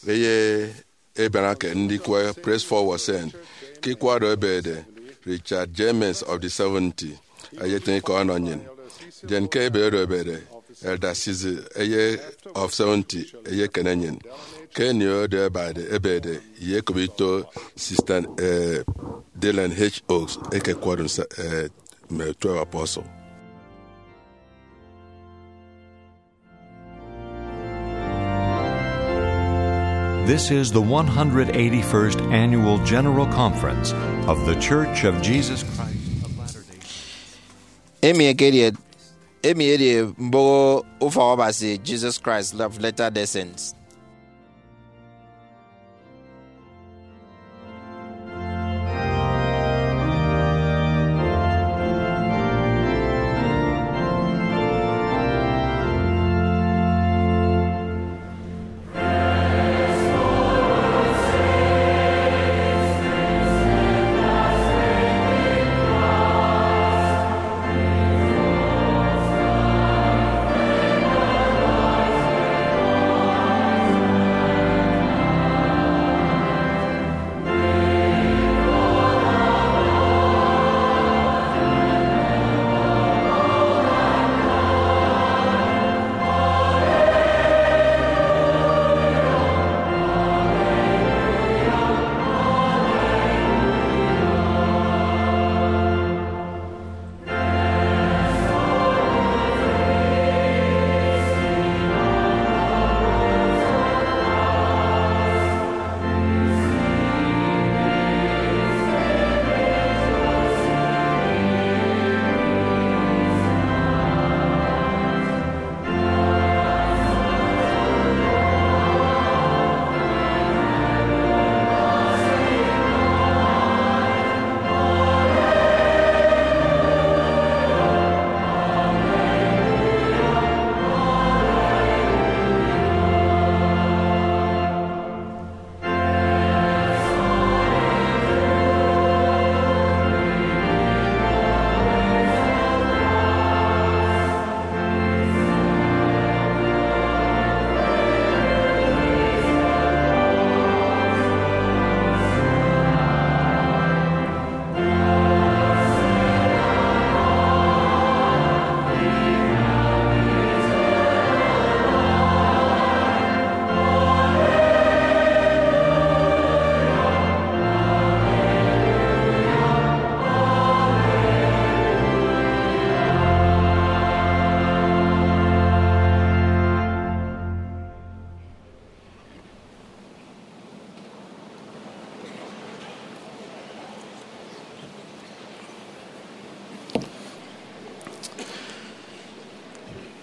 eye ebianake ndikwe Praise Forward Send ke ikwado ebede Richard James of the seventy eyetịñ ikọ ọnọ nnyịn. Jen ke ebede oro ebede Elder Sizi eye of seventy eyekene nnyịn. Ke ini oro ebede ebede ye ekop ito Sister eh, Dallin H. Oaks ekekwọrọ nsa- eh, mme twelve apostle. This is the one hundred eighty-first Annual General Conference of The Church of Jesus Christ of Latter-day Saints. Emi ekedi emi edi mboho ufọk Abasi Jesus Christ of Latter-day Saints.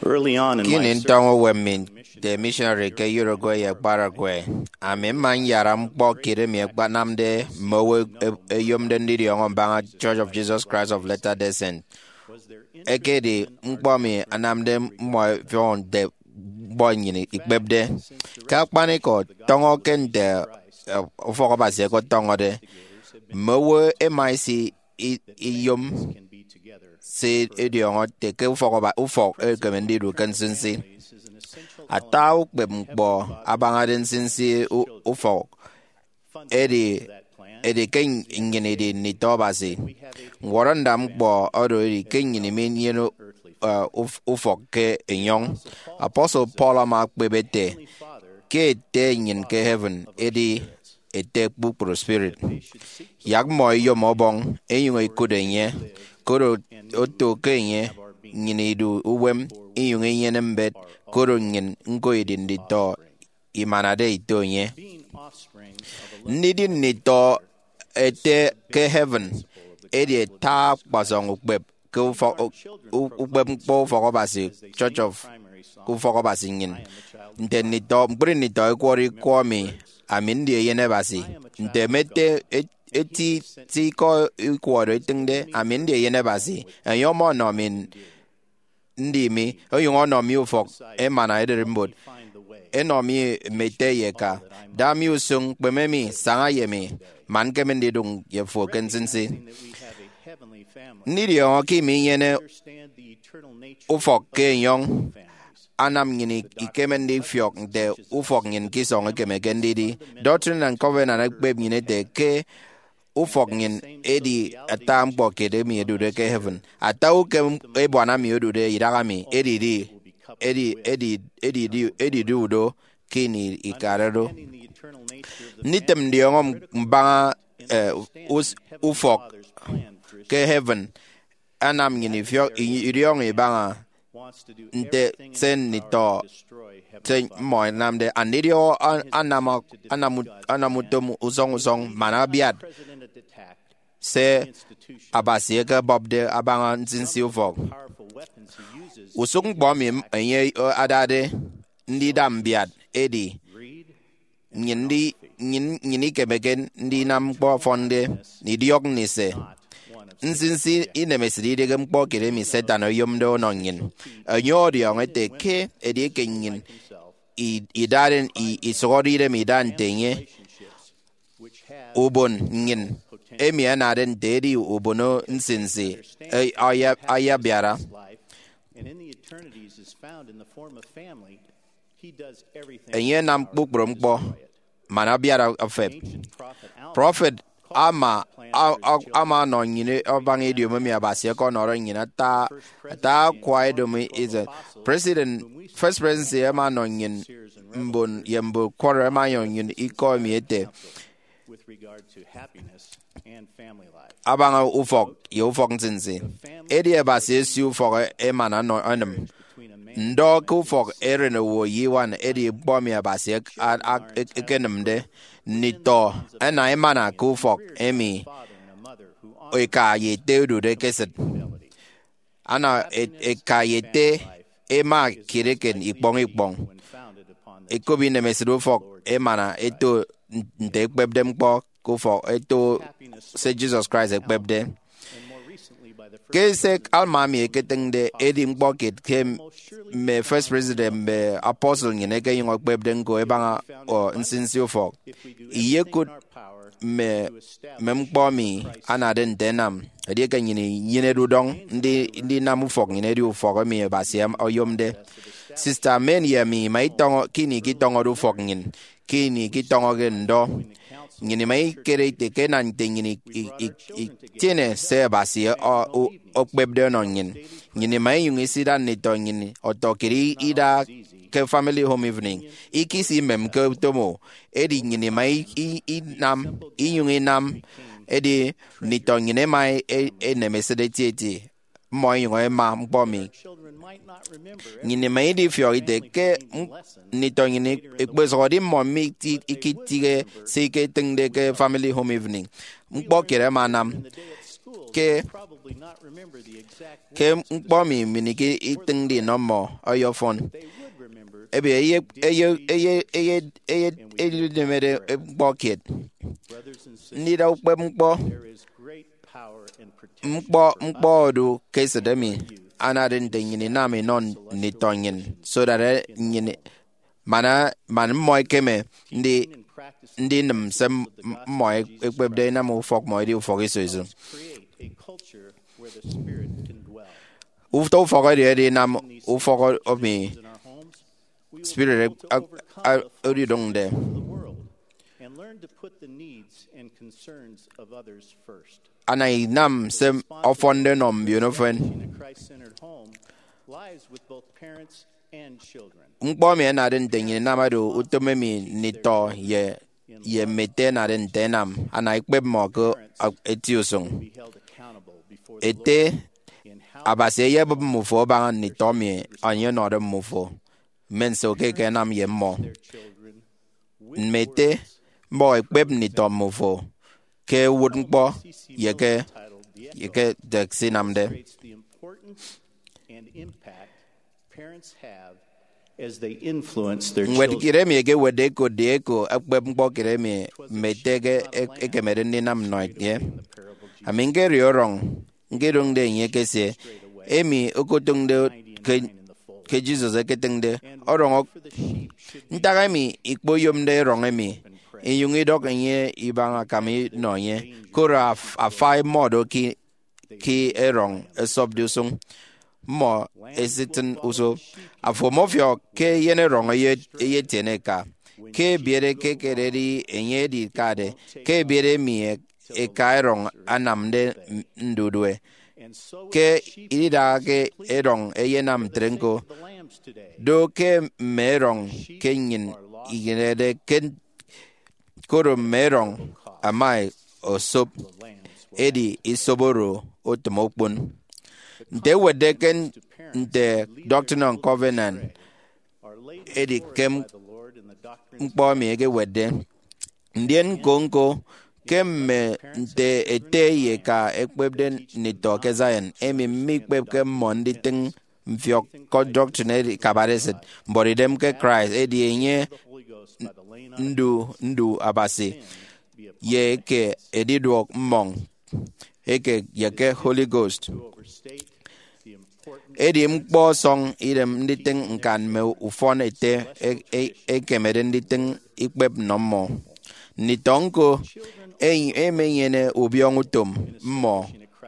Early on in my Kini ntọñọ uwem mi nte missionary ke Uruguay ye Paraguay, ami mma nyara ñkpọ kiet emi ẹkpanamde mme owo e- eyomde ndidiọñọ mbaña Church of Jesus Christ of Latter-day Saints. Ekedi ñkpọ emi anamde mmọ ẹfiọk nte ñkpọ nnyịn ikpepde. Ke akpanikọ, tọñọ ke nte eh, ufọk Abasi ẹkọtọñọde, mme owo ẹma ẹsi i- iyom se idiọñọ ete ke ufọk aba- ufọk ekeme ndidu ke nsinsi. Ata ukpep ñkpọ abañade nsinsi u- ufọk edi, edi ke nnyịn idi nditọ Abasi. Ñwọrọ ndap ñkpọ oro edi ke nnyịn minyene, uh, uf- ufọk ke enyọñ. Apostle Paul ama ekpep ete ke Ete nnyịn ke heaven edi Ete kpukpru spirit. Yak mmọ ẹyom ọbọñ ẹnyụñ ẹkụt enye, koro oto ke enye nnyịn idu uwem inyụñ inyene mbet, koro nnyịn ñko idi nditọ imanade ito enye. Ndidi nditọ Ete ke heaven edi ata akpasọñ ukpep ke ufọk, u- ukpep ñkpọ ufọk Abasi, Church of ufọk Abasi nnyịn. Nte nditọ, ñkpri nditọ ẹkwọrọ ikọ mi, ami ndi eyen Abasi. Nte mme ete, et- eti ti ikọ ikwọrọ etịñde, ami ndi eyen Abasi. Enye ọmọnọ mi ndi mi, onyụñ ọnọ mi ufọk emana ererimbot, enọ mi mme ete ye eka, da mi usụñ, kpeme mi, saña ye mi, man ñkeme ndidụñ ye fo ke nsinsi. Ndidiọñọ ke iminyene ufọk ke enyọñ anam nnyịn ikeme ndifiọk nte ufọk nnyịn ke isọñ ekemeke ndidi. Doctrine and Covenant ekpep nnyịn ete ke ufọk nnyịn edi ata ñkpọ kiet emi ẹdude ke heaven. Ata ukem ebuana mi odude idaha mi, edidi, edi, edi, edidi, edidu do ke ini ikade do. Nditịm ndiọñọ mbaña, eh, us- ufọk ke heaven anam nnyịn ifiọk, i- idiọñọ ibaña nte se nditọ se mmọ ẹnamde. Andidiọñọ a- anam, anam, anam utom usọñ usọñ man abiat se Abasi ekebọpde abaña nsinsi ufọk. Usụk ñkpọ emi enye adade ndida mbiat edi nnyịn ndi- nnyịn, nnyịn ikemeke ndinam ñkpọ ọfọnde, ndidiọk ndise. Nsinsi inemesịt idịghe ñkpọ kiet emi Satan oyomde ọnọ nnyịn. Enye ọdiọñọ ete ke edieke nnyịn i- idade, i- isụhọde idem ida nte enye, ubon nnyịn emi anade nte edi ubono nsinsi, e- aya- ayabiara. Enye anam kpukpru ñkpọ man abiat efep. Prọfet ama, a- a- ama ọnọ nnyịn abaña idiom emi Abasi ọkọnọde nnyịn ata, ata akwa idomo Israel. President, First Presidency ama ọnọ nnyịn mbon ye mbon kwọrọ, ama ọnọ nnyịn ikọ emi ete abaña ufọk ye ufọk nsinsi. Edi Abasi esie ufọk emana nọ- enịm. Ndọ ke ufọk eren owo ye iñwan edi ñkpọ emi Abasi ek- a- a- ek- ekenịmde. Nditọ ẹna emana ke ufọk emi eka ye ete ẹdude ke esịt. Ana e- eka ye ete ẹma kiet eken ikpọñ ikpọñ. Ẹkop inemesịt ufọk emana ẹto nte ẹkpepde ñkpọ ke ufọk, ẹto se Jesus Christ ekpepde. Ke se Alma emi eketịñde edi ñkpọ kiet ke mme First President mme Apostle nnyịn ẹkenyụñ ẹkpepde ñko ẹbaña, ọ, nsinsi ufọk. Iyekụt mme, mme ñkpọ emi anade nte ẹnam edieke nnyịn inyenede udọñ ndi- ndinam ufọk nnyịn edi ufọk emi Abasi oyomde. Sista Amen ye ami ima itọñọ ke ini ikitọñọde ufọk nnyịn, ke ini ikitọñọke ndọ, nnyịn ima ikere ite ke ẹnam nte nnyịn i- i- i- itiene se Abasi ọ- o- okpepde ọnọ nnyịn. Nnyịn ima inyụñ isida nditọ nnyịn ọtọkiet i- ida ke family home evening. Ikisi imemke utom o, edi nnyịn ima i- i- inam, inyụñ inam. Edi nditọ nnyịn ẹma e- e- enemesịt etieti, mmọ ẹnyụñ ẹma ñkpọ mi. Nnyịn ima idifiọk ite ke m- nditọ nnyịn ikpesụhọde, mmọ mi ti- ikitịghe se iketịñde ke family home evening. Ñkpọ kiet ẹma ẹnam ke, ke ñkpọ emi minịke itịñde inọ mmọ ọyọfọn. Ebe eye, eye, eye, eye, eye, eyedemede ñkpọ kiet. Ndida ukpep ñkpọ, ñkpọ, ñkpọ odu ke esịt emi anade nte nnyịn inam inọ nditọ nnyịn, so that, eh, nnyịn, man, man mmọ ẹkeme ndi- ndinịm se m- mmọ ekpepde inam ufọk mmọ edi ufọk iso iso. Utọ ufọk edi edinam ufọk emi spirit a- a- odidụñde. Learn to put the needs and concerns of others first. Ana inam se ọfọnde nọ mbiono efen. A Christ-centered home lies with both parents and children. Ñkpọ emi anade nte nnyịn inamade utom emi nditọ ye, ye mme ete anade nte ẹnam, ana ikpep mmọ ke eti usụñ. Be held accountable before the Ete, Lord in how Abasi eyebụp mmufo abaña nditọ emi enye ọnọde mmufo, mme nso ke ẹkenam ye mmọ. Their children with Mme ete, mbọhọ ikpep nditọ mmufo ke uwụtñkpọ ye ke, ye ke nte ẹsinamde. Demonstrates the importance and impact parents have as they influence their Ñwed children. Kiet emi ekewetde ekotde eko ẹkpep ñkpọ kiet emi mme ete ke e-, ekemede ndinam nnọ enye. Ami ñkedi ọrọñ, ñkidụñde enye ke se emi okotụñde ke, ke Jesus eketịñde. Ọrọñ ok-, ntak emi ikpoyomde erọñ emi, inyụñ idọk enye ibaña akam inọ enye, koro af-, afai mmọ do ke, ke erọñ esopde usụñ, mmọ ẹsitịñ usọ. Afo ọmọfiọk ke eyen erọñ eye-, eyetiene eka. Ke ebiere ke ekededi enye edikade, ke ebiere emi e-, eka erọñ anamde m-, ndudue. Ke idaha ke erọñ eyenam ntre ñko, do ke mme erọñ ke nnyịn iyenede ke, koro mme erọñ ama osop, edi isop oro otịm okpon. Nte ewetde ke nte Doctrine and Covenant, edi ke m-, ñkpọ emi ekewetde. Ndien ñko-ñko, ke mme nte ete ye eka ẹkpepde nditọ ke Zion, emi mikpepke mmọ nditịñ mfiọk ke doctrine edi kabaresịt, mbuọtidem ke Christ, edi enye ndu, ndu Abasi, ye eke ediduọk mmọñ eke ye ke Holy Ghost. Edi ñkpọ ọsọñ idem nditịñ ñkan mme ufọn ete e-, e-, ekemede nditịñ ikpep nnọ mmọ. Nditọ ñko e-, ẹmenyene ubiọñọ utom mmọ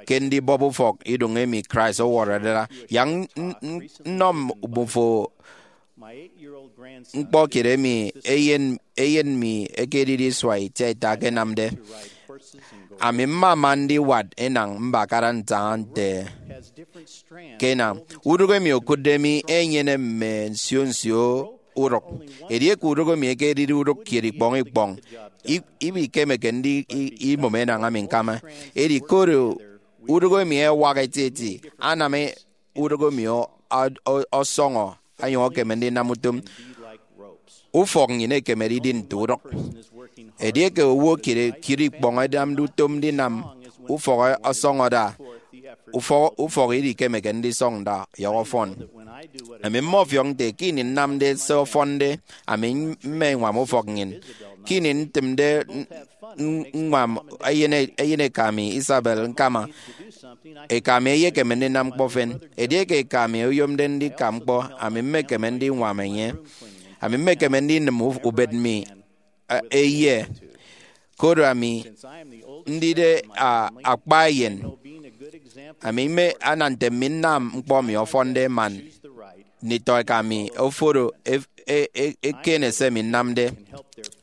ke ndibọp ufọk idoñ emi Christ ọwọrọde ada. Yak n-, n-, nnọ mmufo ñkpọ kiet emi eyen, eyen mi ekedide isua itiaita akanamde. Ami mmama ndiwat enañ mbakara ntaña nte ke enañ. Udụk emi okụtde mi enyene mme nsio nsio udụk. Edieke udụk emi ekedide udụk kiet ikpọñ ikpọñ, i-, ibikemeke ndi-, i-, imụm enañ ami ñkama. Edi koro udụk emi ẹwak etieti, anam e-, udụk emi ọ-, ọ-, ọ-, ọsọñọ, onyụñ ekeme ndinam utom. Ufọk nnyịn ekemede idi nte udụk. Edieke owo kiet, kiet ikpọñ ẹnamde utom ndinam ufọk ọsọñọ da, ufọk, ufọk idikemeke ndisọñ da ọyọhọ ọfọn. Ami mmọfiọk nte ke ini nnamde se ọfọnde, ami mme ññwam ufọk nnyịn. Ke ini ntịmde n-, n-, ññwam eyen, eyeneka mi, Isabel, ñkama eka mi eyekeme ndinam ñkpọ efen. Edieke eka mi oyomde ndika ñkpọ, ami mmekeme ndiñwam enye. Ami mmekeme ndinịm u-, ubet mi, e, eye. Koro ami ndide, a, akpa eyen, ami mme ana nte mi nnam ñkpọ mi ọfọnde man nditọ eka mi oforo e-, e-, e-, eken se mi nnamde.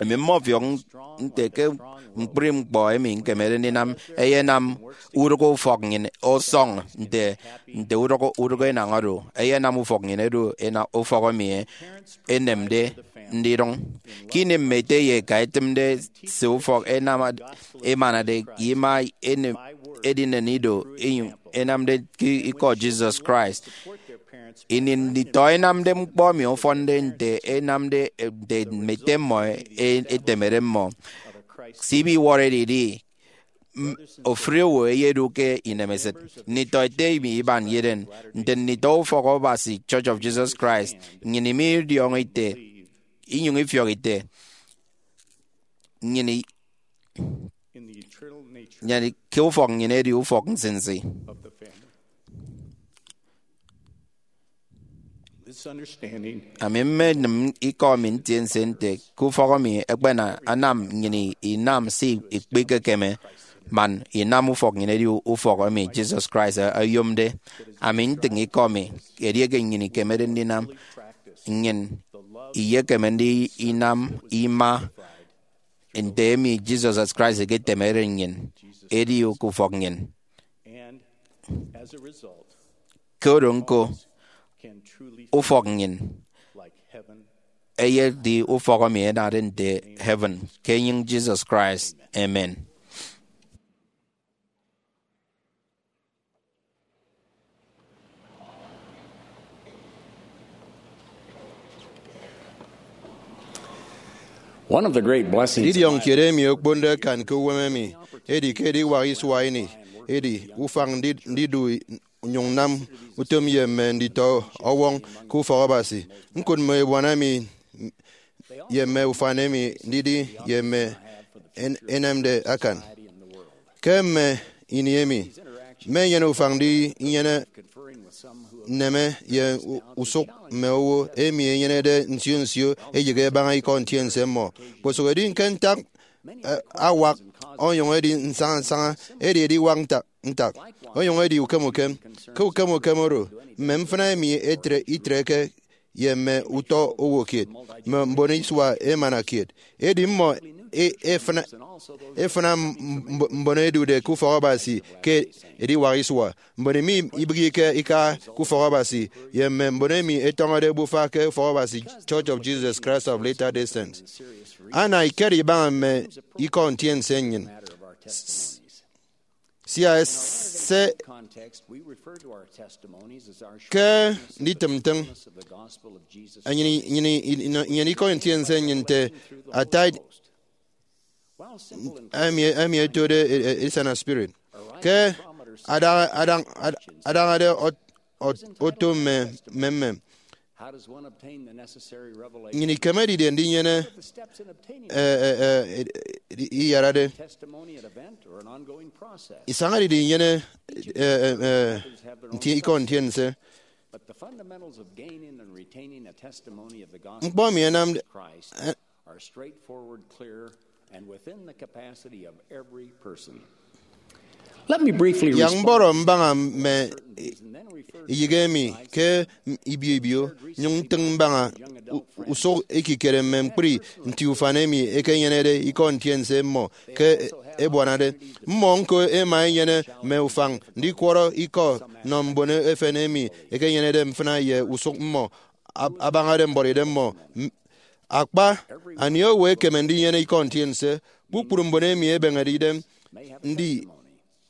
Emi mmọfiọk nte ke ñkpri ñkpọ emi ñkemede ndinam ẹyenam udụk ufọk nnyịn ọsọñ nte, nte udụk, udụk enañ oro ẹyenam ufọk nnyịn edu ena-, ufọk emi enemde ndidụñ. Ke ini mme ete ye eka ẹtịmde se ufọk ẹnam, ẹmanade ye ima enem, edinen ido inyụñ ẹnamde ke ikọ Jesus Christ, ini nditọ ẹnamde ñkpọ emi ọfọnde nte ẹnamde, nte mme ete mmọ e-, etemede mmọ. Se ibiwọrọ edidi, m-, ofụri owo eyedu ke inemesịt. Nditọ ete emi iban yeden, nte nditọ ufọk Abasi, Church of Jesus Christ, nnyịn imidiọñọ ite, inyụñ ifiọk ite, nnyịn i-, nnyịn ke ufọk nnyịn edi ufọk nsinsi. Ami mmenịm ikọ mi ntiense nte ke ufọk emi ekpena anam nnyịn inam se ikpikekeme, man inam ufọk nnyịn edi ufọk emi Jesus Christ oyomde. Ami ntịñ ikọ mi, edieke nnyịn ikemede ndinam, nnyịn iyekeme ndinam ima nte emi Jesus Christ eketemede nnyịn edi ke ufọk nnyịn. Ke oro ñko, ufọk nnyịn eyedi ufọk emi ẹnade nte heaven ke enyịñ Jesus Christ. Amen. One of the great blessings of idiọñ kiet emi okponde akan ke uwem emi edi ke ediwak isua ini edi ufañ ndi- ndidu nyụñ nnam utom ye mme nditọ ọwọñ ke ufọk Abasi. Ñkụt mme ebuana emi ye mme ufan emi ndidi ye mme en- enemde akan. Ke mme ini emi, mme enyene ufañ ndi inyene nneme ye u- usụk mme owo emi enyenede nsio nsio eyịghe ebaña ikọ ntiense mmọ. Kposụk edi ke ntak, eh, awak onyụñ edi nsaña nsaña, edi ediwak ntak ntak onyụñ edi ukem ukem. Ke ukem ukem oro, mme mfịna emi etre itreke ye mme utọ owo kiet, mme mbon isua emana kiet. Edi mmọ e- efịna efịna mb- mb- mbon edude ke ufọk Abasi ke ediwak isua, mbon emi ibịghike ika ke ufọk Abasi, ye mme mbon emi etọñọde ebufa ke ufọk Abasi, Church of Jesus Christ of Latter-day Saints. Ana ikere ibaña mme ikọ ntiense nnyịn. Sia se ke nditịm ntịñ enyịn, enyịn, enyịn ikọ ntiense nnyịn nte ata emi, emi etode e- e- edisana spirit. Ke adaña- adañ- ad- adañade ot- ot- oto mme mme mme, nnyịn ikeme didie ndinyene, eh, eh, eh, ed- ed- iyarade? Isañade didie inyene, eh, eh, eh, nti- ikọ ntiense? Ñkpọ emi ẹnamde, eh, are straightforward, clear, and within the capacity of every person. Let me briefly yak mbọrọ mbaña mme eyịghe emi ke ibio ibio, nyụñ ntịñ mbaña u- usụk ekikere mme ñkpri nti ufan emi ẹkenyenede ikọ ntiense mmọ ke ebuanade. Mmọ ñko ẹma ẹnyene mme ufañ ndikwọrọ ikọ nnọ mbon efen emi ẹkenyenede mfịna ye usụk mmọ ab- abañade mbuọtidem mmọ. M- Akpa, anie owo ekeme ndinyene ikọ ntiense? Kpukpru mbon emi ẹbeñede idem ndi-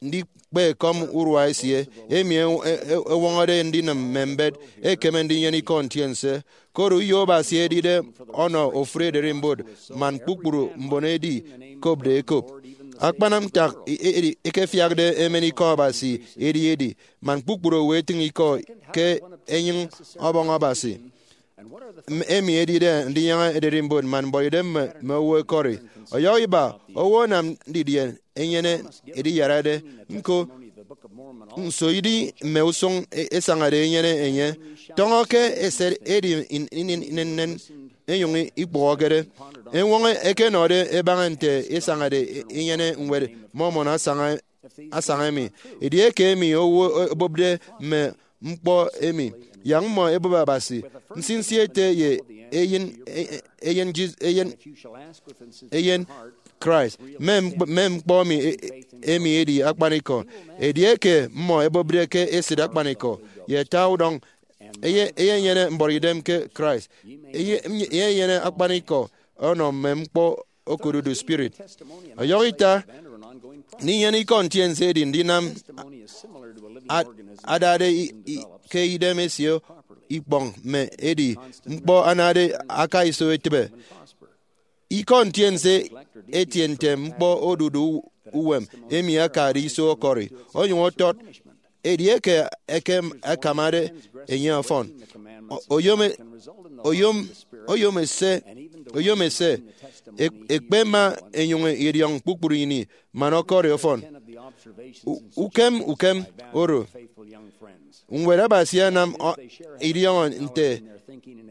ndikpe ekọm urua esie, emi e- e- ewọñọde ndinịm mme mbet, ekeme ndinyene ikọ ntiense. Koro uyo Abasi edide ọnọ ofụri ererimbot man kpukpru mbon edi kopde ekop. Akpanam ntak e- e- edi ekefiakde emen ikọ Abasi edi edi man kpukpru owo etịñ ikọ ke enyịñ ọbọñ Abasi, m- emi edide ndinyaña ererimbot man mbuọtidem mme mme owo ẹkọri. Ọyọhọ iba, owo anam didie enyene ediyarade? Ñko, nso idi mme usụñ e- esañade enyene enye? Tọñọ ke eset edi in- in- in- inennen enyụñ ikpụhọkede. Eñwọñọ ẹkenọde ẹbaña nte esañade e- enyene Ñwed Mormon asaña asaña emi. Edieke emi owo obụpde mme ñkpọ emi, yak mmọ ẹbụp Abasi, nsinsi ete ye eyen, eyen, Jis- eyen, eyen Christ, mme ñkp- mme ñkpọ emi, emi edi akpanikọ. Edieke mmọ ẹbụpde ke esịt akpanikọ ye ata udọñ, eye- eyenyene mbuọtidem ke Christ. Eye- eyenyene akpanikọ ọnọ mme ñkpọ okodudu spirit. Ọyọhọ ita, ndinyene ikọ ntiense edi ndinam a- adade i- i- ke idem esie ikpọñ, mme edi ñkpọ anade aka iso etịbe. Ikọ ntiense etie nte ñkpọ odudu uwem emi akade iso ọkọri, onyụñ ọtọt edieke ekem akamade enye ọfọn. O- oyom e- oyom oyom ese oyom ese ek- ekpe ma enyụñ ediọñ kpukpru ini man ọkọri ọfọn. U- ukem ukem oro, Ñwed Abasi anam ọ- idiọñọ nte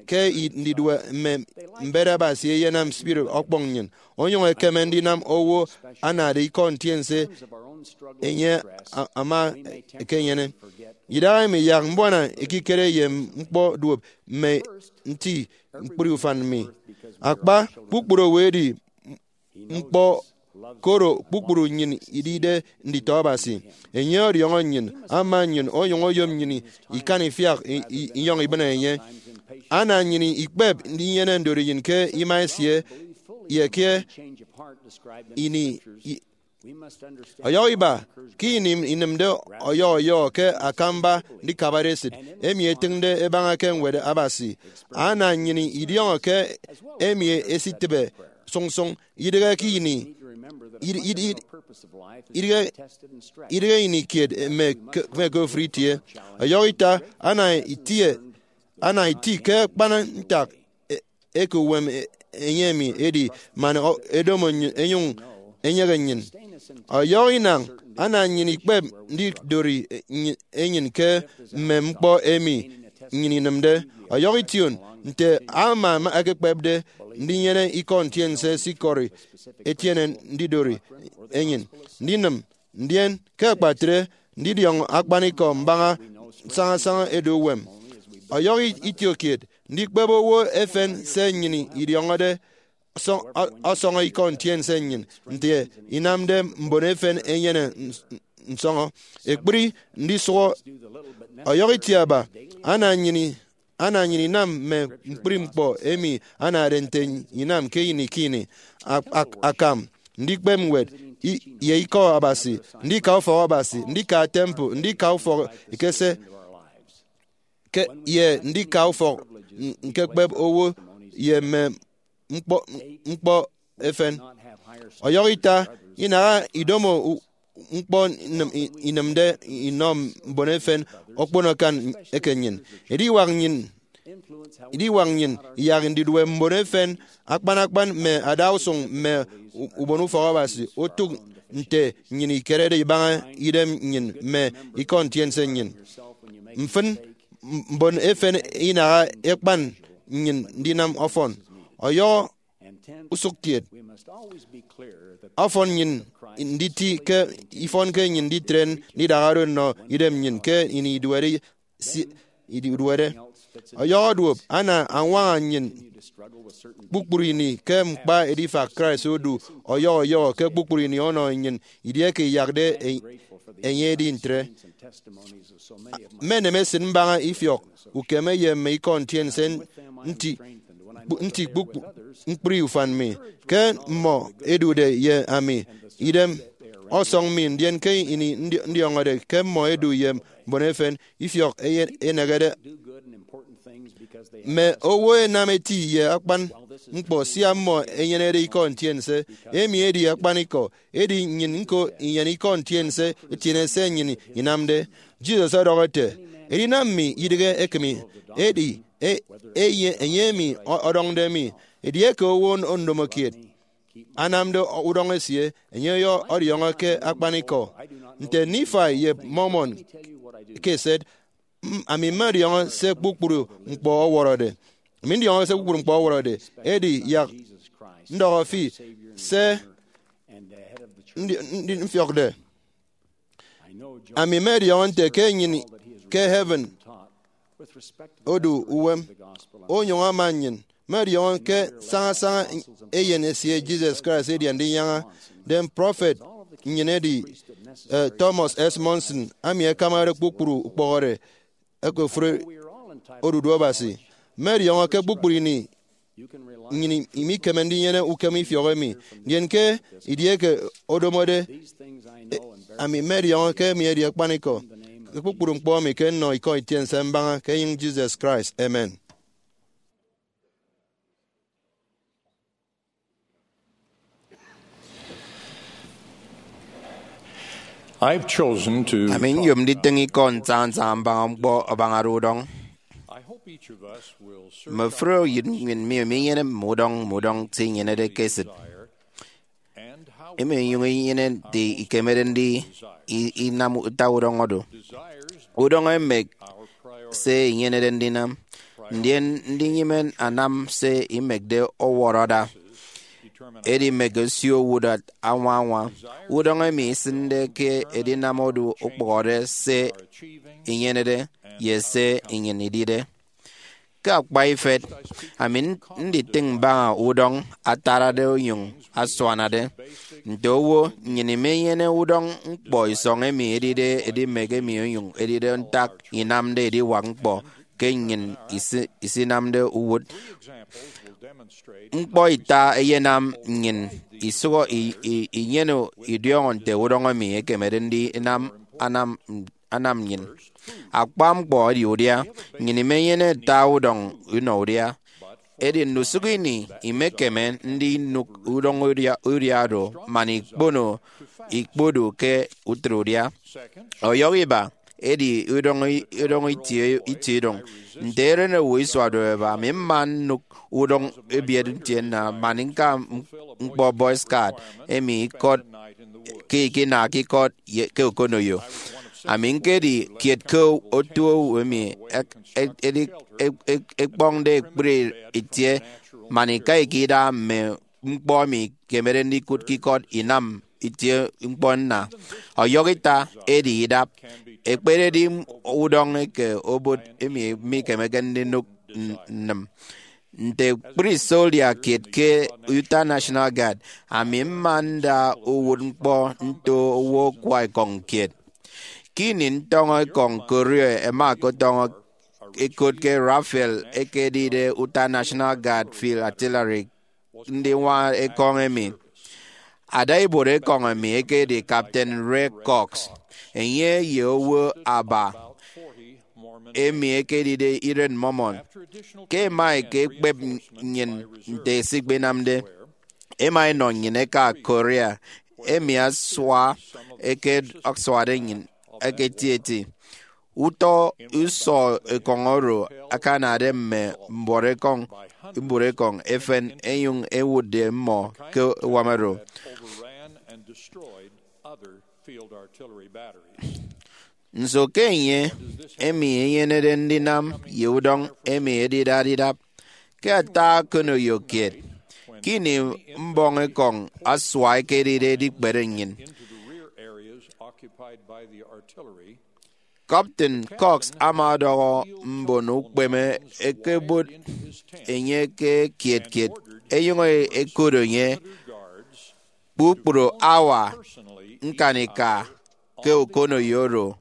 ke i- ndidue mme mbet Abasi eyenam spirit ọkpọñ nnyịn, onyụñ ekeme ndinam owo anade ikọ ntiense enye a- ama ekenyene. Idahaemi yak mbuana ekikere ye ñkpọ duop mme nti ñkpri ufan mi. Akpa, kpukpru owo edi ñkpọ koro kpukpru nnyịn idide nditọ Abasi. Enye ọdiọñọ nnyịn, ama nnyịn, onyụñ oyom nnyịn ikan ifiak i- i- inyọñ ibịne enye. Ana nnyịn ikpep ndinyene ndori nnyịn ke ima esie ye ke ini i- ọyọhọ iba ke ini inịmde ọyọhọ ọyọhọ ke akamba ndikabade esịt emi etịñde ebaña ke Ñwed Abasi. Ana nnyịn idiọñọ ke emi esitịbe sụñsụñ, idịghe ke ini, id- id- id- idịghe, idịghe ini kiet mme ke, mme ke ofụri itie. Ọyọhọ ita, ana itie, ana iti ke akpan ntak e- eke uwem e- enye emi edi man ọ- edomo nny- enyụñ enyeghe nnyịn. Ọyọhọ inañ, ana nnyịn ikpep ndidori e- nny- enyịn ke mme ñkpọ emi nnyịn inịmde. Ọyọhọ ition, nte ama ekekpepde ndinyene ikọ ntiense sikọri etiene ndidori enyịn, ndinịm, ndien ke akpatre ndidiọñ akpanikọ mbaña sañasaña edu uwem. Ọyọhọ itiokiet, ndikpep owo efen se nnyịn idiọñọde ọsọ- ọ- ọsọñọ ikọ ntiense nnyịn nte inamde mbon efen enyene ns- nsọñọ. Ekpri ndisụhọ ọyọhọ itiaba, ana nnyịn i- ana nnyịn inam mme ñkpri ñkpọ emi anade nte inam ke ini ke ini, ak- ak- akam, ndikpep ñwed, i- ye ikọ Abasi, ndika ufọk Abasi, ndika temple, ndika ufọk ekese, ke, ye ndika ufọk n- ñkekpep owo ye mme ñkpọ, ñkpọ efen. Ọyọhọ ita, inaha idomo u- ñkpọ inịm- i- inịmde inọ mbon efen okpono akan eke nnyịn. Ediwak nnyịn, ediwak nnyịn iyak ndidue mbon efen akpan akpan mme adausụñ mme u- ubon ufọk Abasi otụk nte nnyịn ikerede ibaña idem nnyịn mme ikọ ntiense nnyịn. Mfịn, m- mbon efen inaha ekpan nnyịn ndinam ọfọn. Ọyọhọ usụkkiet, ọfọn nnyịn nditi ke ifọn ke nnyịn nditre ndidahado nnọ idem nnyịn ke ini iduede si- iduede. Ọyọhọ duop, ana añwaña nnyịn kpukpru ini ke ñkpa edifak Christ odu ọyọhọ ọyọhọ ke kpukpru ini ọnọ nnyịn idieke iyakde e- enye edi ntre. Mmenem esịt mbaña ifiọk ukeme ye mme ikọ ntiense nti, nti kpukpru ñkpri ufan mi, ke mmọ ẹdude ye ami, idem ọsọñ mi, ndien ke ini ndi- ndiọñọde ke mmọ ẹdu ye mbon efen, ifiọk eye- enehede. Mme owo ẹnam eti ye akpan ñkpọ sia mmọ ẹnyenede ikọ ntiense. Emi edi akpanikọ, edi nnyịn ñko inyene ikọ ntiense etiene se nnyịn inamde. Jesus ọdọhọ ete, edinam mi idịghe ekịmi, edi e- eye enye emi ọ- ọdọñde mi. Edieke owo ndomokiet anamde udọñ esie, enye ọyọ ọdiọñọ ke akpanikọ. Nte Nifai ye Mormon ke eset, "M- ami mmediọñọ se kpukpru ñkpọ ọwọrọde. Ami ndidiọñọ se kpukpru ñkpọ ọwọrọde, edi yak ndọhọ fi se ndi- ndi- mfiọkde. Ami mmediọñọ nte ke nnyịn ke heaven odu uwem, onyụñ ama nnyịn. Mmediọñọ ke sañasaña eyen esie Jesus Christ edi Andinyaña, den prọfet nnyịn edi, eh, Thomas S. Monson, ami ẹkamade kpukpru ukpọhọde eke ofụri odudu Abasi. Mmediọñọ ke kpukpru ini nnyịn imikeme ndinyene ukem ifiọk emi. Ndien ke edieke odomode, e- ami mmediọñọ ke emi edi akpanikọ ke kpukpru ñkpọ emi ke nnọ ikọ ntiense mbaña ke enyịñ Jesus Christ. Amen. I've chosen to Ami nyom nditịñ ikọ nsaña nsaña mbaña ñkpọ abañade udọñ. I hope each of us will search Mme ofụri oyịt nnyịn mi minyene mme udọñ mme udọñ se inyenede ke esịt. Emi inyụñ inyene nte ikemede ndi i- inam ata udọñ oro. Udọñ emek se inyenede ndinam, ndien ndinyịme anam se imekde ọwọrọ ada. Edi mme ke osio owụt añwa añwa udọñ emi isịnde ke edinam odu ukpụhọde se inyenede ye se nnyịn idide. Ke akpa ifet, ami nditịñ mbaña udọñ atarade onyụñ asuanade. Nte owo, nnyịn imenyene udọñ ñkpọ isọñ emi edide edimek emi onyụñ edide ntak inamde ediwak ñkpọ ke nnyịn isi- isinamde uwụt. Ñkpọ ita eyenam nnyịn isụhọ i- i- inyene idiọñọ nte udọñ emi ekemede ndinam anam anam nnyịn. Akpa ñkpọ edi udia. Nnyịn imenyene ata udọñ inọ udia. Edi ndusụk ini imekeme ndinụk udọñ udia, udia oro man ikpono ikpodu ke utịt udia. Ọyọhọ iba, edi udọñ i- udọñ itie itie idụñ. Nte erenowo isuade eba, ami mma nnụk udọñ ebiet ntienna man ñka ñkpọ Boy Scout emi ikọt ke ikinaha ikọt ye- ke okonoyo. Ami ñkedi kiet ke otu owo emi ek- ek- edi- ek- ek- ekpọñde ekpri itie man ika ika ida mme ñkpọ emi ikemede ndikụt ke ikọt inam itie ñkpọ nna. Ọyọhọ ita, edi idap. Ekpededi udọñ eke obot emi mikemeke ndinụk n- nnịm. Nte ekpri soldier kiet ke Utah National Guard, ami mma nda uwụtñkpọ nto owo akwa ekọñ kiet. Ke ini ntọñọ ekọñ Korea ẹma ẹkọtọñọ ẹkot ke Ralph ekedide Utah National Guard Field Artillery ndiñwaña ekọñ emi. Adaibuot ekọñ emi ekedi Captain Ray Cox. Enye ye owo aba emi ekedide iren Mormon. Ke ẹma ẹkekpep nnyịn nte esikpenamde, ẹma ẹnọ nnyịn ẹka Korea, emi asua eke asuade nnyịn eke etieti. Utọ usọ ekọñ oro akanade mme mbuọt ekọñ, mbuọt ekọñ efen ẹnyụñ ẹwụtde mmọ ke uwam oro. Nso ke enye emi enyenede ndinam ye udọñ emi edidade idap? Ke ata okonoyo kiet, ke ini mbọñ ekọñ asua ekedide edikpere nnyịn, Captain Cox ama ọdọhọ mbon ukpeme ẹkebot enye ke kiet kiet, ẹnyụñ ẹkot enye kpukpru hour ñkanika ke okonoyo oro.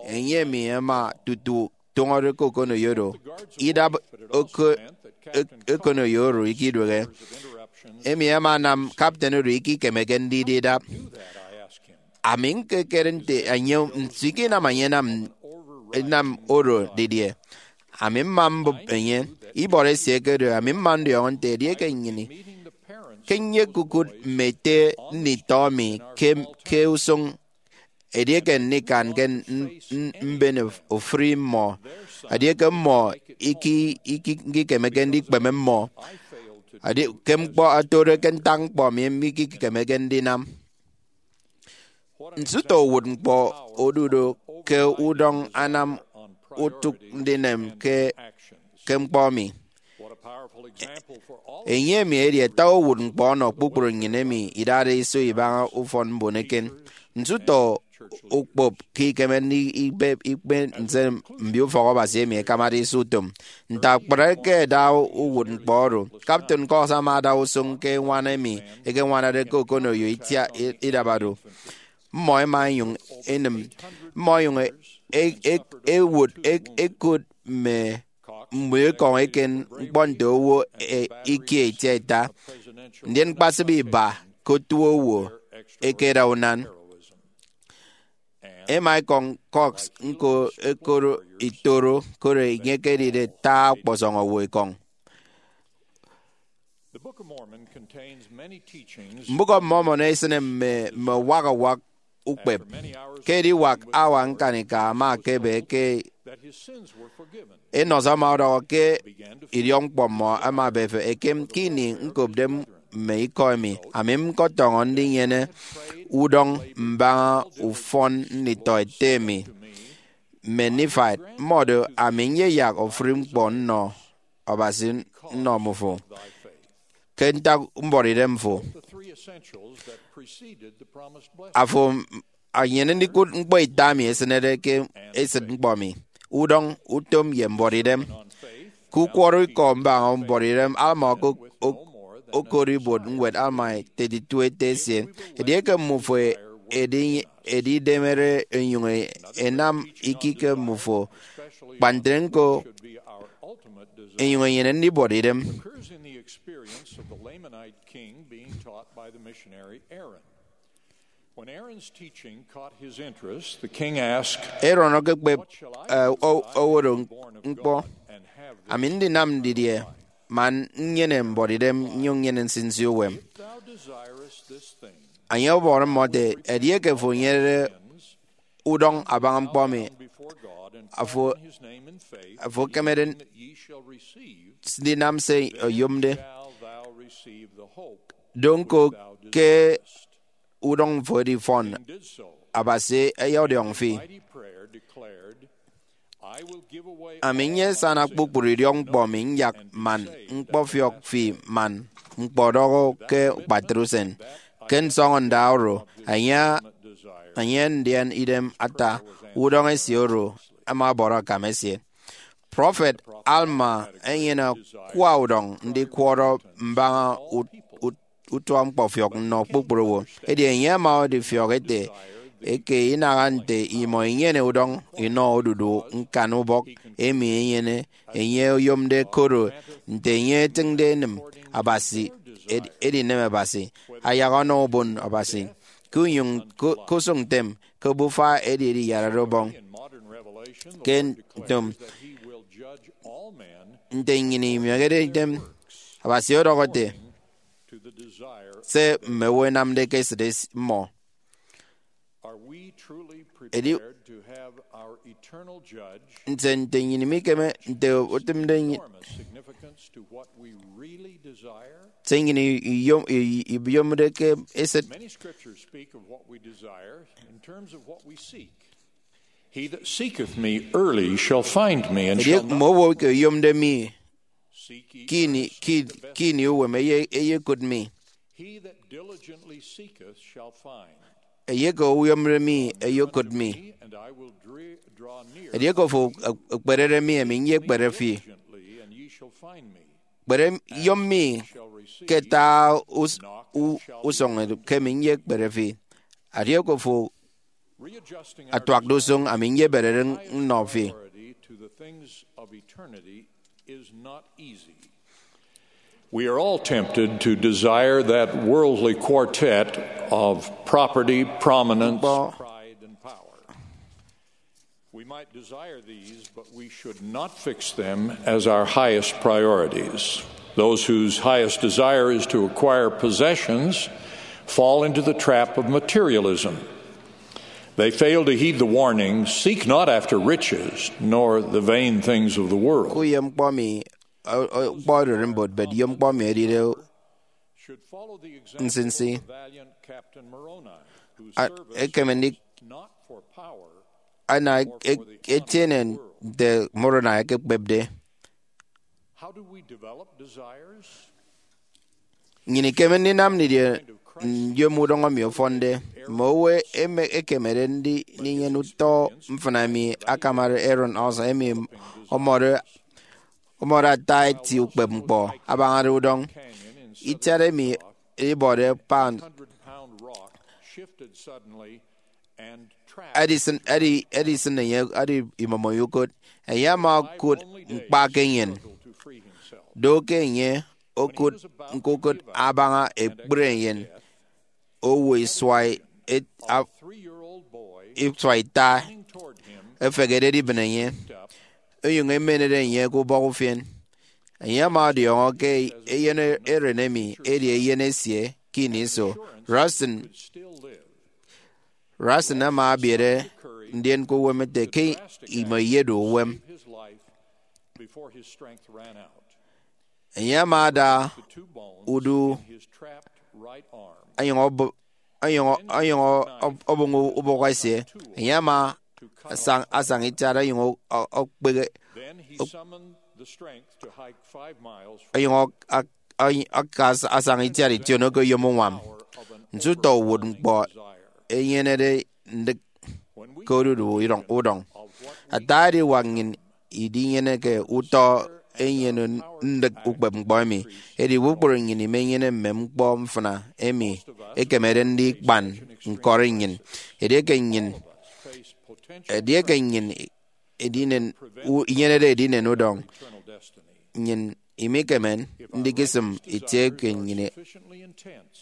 Enye emi ama tutu tụñọde ke okonoyo oro. Idap oko- ek- okonoyo oro ikiduehe. Emi ama anam kapten oro ikikemeke ndidi idap. Ami ñkekere nte enye, nso ikinam enye enam, enam oro didie? Ami mma mbụp enye. Ibọrọ esie ekedu, ami mma ndiọñọ nte edieke nnyịn ke nyekukụt mme ete nditọ mi ke, ke usụñ, edieke ndikan ke n- n- mben ofụri mmọ, edieke mmọ iki- iki- ikikemeke ndikpeme mmọ, edi ke ñkpọ otode ke ntak ñkpọ mi mikikemeke ndinam. Nso utọ uwụtñkpọ odu do ke udọñ anam utụk ndinem ke, ke ñkpọ mi? Enye emi edi ata uwụtñkpọ ọnọ kpukpru nnyịn emi idade iso ibaña ufọn mbon eken. Nso utọ ukpop ke ikeme ndikpep ikpe nse mbio ufọk Abasi emi ẹkamade iso utom? Nte akpatre ke ẹda uwụtñkpọ oro, Captain Cox ama ada usụñ ke ñwan emi ẹkeñwanade ke okonoyo itiat idabado. Mmọ ẹma ẹnyụñ ẹnịm. Mmọ ẹnyụñ e- e- e- ẹwụt e- ẹkot mme mbuọ ekọñ eken ñkpọ nte owo e- ikie itiaita, ndien ñkpasịp iba ke otu owo ẹkeda unan. Ẹma ẹkọñ Cox ñko ẹkoro itoro, koro enye ekedide ata ọkpọsọñ owo ekọñ. Mbụk of Mormon esịne mme, mme uwak uwak ukpep. Ke ediwak hour ñkanika ama ekebe ke enọsọ ama ọdọhọ ke idiọkñkpọ mmọ ama ebefe ekem. Ke ini ñkopde mme ikọ emi, ami ñkọtọñọ ndinyene udọñ mbaña ufọn nditọ ete mi, mme Nephite. Mmọdo, ami nyeyak ofụri ñkpọ nnọ Abasi nnọ mmufo ke ntak mbuọtidem fo. Afo enyene ndikụt ñkpọ ita emi esịnede ke esịt ñkpọ mi: udọñ, utom, ye mbuọtidem. Ke ukwọrọ ikọ mbaña mbuọtidem, Alma oko-, ok-, okot ibuot ñwed Alma thirty-two ete esie, edieke mmufo edi-, edidemere enyuñ enam ikike mmufo, kpa ntre ñko enyuñ enyene ndibuọt idem. Occurs in the experience of the Lamanite king being taught by the missionary Aaron. When Aaron's teaching caught his interest, the king asked, Aaron okekpep, eh, o-, oworo ñkpọ, "Ami ndinam didie man nnyene mbuọtidem nnyuñ nnyene nsinsi uwem?" Thou desirest this thing. Enye ọbọrọ mmọ ete, "Edieke fo enyenede udọñ abaña ñkpọ emi, afo, afo ekemede ndinam se oyomde. Do ñko ke udọñ fo edifọn, Abasi eyọdiọñ fi. Ami nyesana kpukpru idiọk ñkpọ mi nyak man ñkpọfiọk fi man ñkpọdọhọ ke akpatre usen. Ke nsọñọnda oro, enye, enye ndian idem ata udọñ esie oro ama ọbọrọ akam esie." Prọfet Alma enyene akwa udọñ ndikwọrọ mbaña ut-, ut-, utuañkpọfiọk nnọ kpukpru owo. Edi enye ama ọdifiọk ete, eke inaha nte imọ inyene udọñ inọ odudu ñkan ubọk emi enyene enye oyomde, koro nte enye etịñde enịm Abasi, ed-, edinem Abasi, ayak ọnọ ubon Abasi, ke unyụñ ku-, ke usụñ ntem, ke obufa edi ediyarade ubọñ. Ke ntom, nte nnyịn imieñede idem, Abasi ọdọhọ ete, "Se mme owo ẹnamde ke esịt es-, mmọ." Edi, nte, nte nnyịn mikeme, nte otịmde nnyịn, se nnyịn i-, iyom-, i-, iyomde ke esịt. Many scriptures speak of what we desire in terms of what we seek. "He that seeketh me early shall find me, and shall knock." Mme owo ke oyomde mi ke ini, ke, ke ini uwem eye-, eyekụt mi. "He that diligently seeketh shall find." Eye ke oyomde mi eyekụt mi. "And I will dre-, draw near." Edieke fo ekperede mi, ami nyekpere fi. "Diligently, and ye shall find me." Kpere, yom mi ke ata us-, u-, usọñ edu, ke mi nyekpere fi. Edieke fo atuakde usụñ, ami nyeberede nnọ fi. We are all tempted to desire that worldly quartet of property, prominence, pride, and power. We might desire these, but we should not fix them as our highest priorities. Those whose highest desire is to acquire possessions fall into the trap of materialism. They fail to heed the warning, "Seek not after riches, nor the vain things of the world." Kuyom ñkpọ mi, o-, o-, ñkpọ ererimbot, but yom ñkpọ mi edide nsinsi. A-, ekeme ndi-, ana e-, etiene nte Moroni ekekpepde. Nnyịn ikeme ndinam didie nyom udọñ emi ọfọnde? Mme owo eme-, ekemede ndi-, ndinyene utọ mfịna emi akamade Aaron Olson, emi ọmọde, ọmọde ata eti ukpep ñkpọ abañade udọñ itiat emi ibọde pound. Edisịn, edi, edisịn enye, edi imọmọ ye ukot. Enye ama okụt ñkpa ke enyịn. Do ke enye okụt ñkukụt abaña ekpri enyịn owo isua et-, a-, isua ita efehede edibịn enye, onyụñ emenede enye ke ubọk ufien. Enye ama ọdiọñọ ke eyen eren emi edi eyen esie ke ini iso. Russell, Russell ama abiere ndien ke uwem ete ke imọ iyedu uwem. Enye ama ada udu onyụñ ọbọ-, onyụñ, onyụñ ọ-, ọbọñ ubọk esie. Enye ama asañ, asañ itiat onyụñ ọ-, ọ-, ọkpehe, onyụñ ọ-, ak-, onyụñ aka as-, asañ itiat ition ke oyom uñwam. Nso utọ uwụtñkpọ enyenede ndịk ke odudu udọñ, udọñ? Ata ediwak nnyịn idinyeneke utọ enyene ndịk ukpepñkpọ emi. Edi kpukpru nnyịn imenyene mme ñkpọ mfịna emi ekemede ndikpan ñkọri nnyịn. Edieke nnyịn edieke nnyịn edinen u- inyenede edinen udọñ, nnyịn imikeme ndikisịm itie ke nnyịn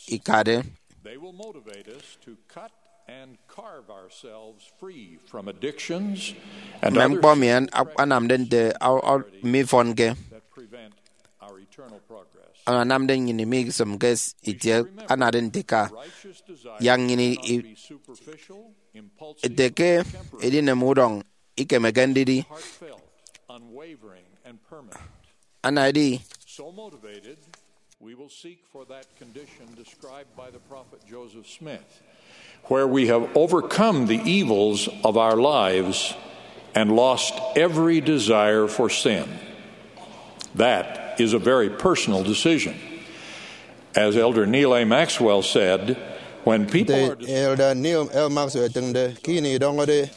ikade. They will motivate us to cut and carve ourselves free from addictions and mme other ñkpọ emi an- anamde nte a- a- mifọnke that prevent our eternal progress. Anamde nnyịn imikisịmke itie anade nte ka righteous desire yak nnyịn i- be superficial, impulsive, ete ke temporary, edinem udọñ ikemeke ndidi heartfelt, unwavering, and permanent. Anaedi. So motivated, we will seek for that condition described by the prophet Joseph Smith, where we have overcome the evils of our lives and lost every desire for sin. That is a very personal decision. As Elder Neal A. Maxwell said, when people are Nte Elder Neal L. Maxwell etịñde, ke ini idọñọde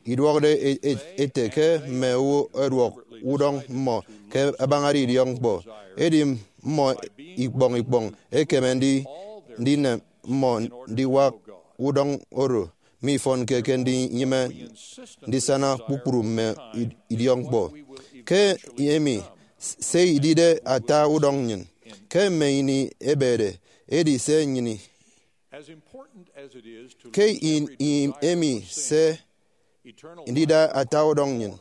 iduọkde e- e- ete ke mme owo ẹduọk udọñ mmọ ke abañade idiọkñkpọ, edi mmọ ikpọñ ikpọñ ẹkeme ndi- ndinem mmọ ndiwak udọñ oro mifọnke ke ndinyịme ndisana kpukpru mme id- idiọkñkpọ. Ke emi, s- se idide ata udọñ nnyịn ke mme ini ẹbede edi se nnyịn i- ke in- in- emi se ndida ata udọñ nnyịn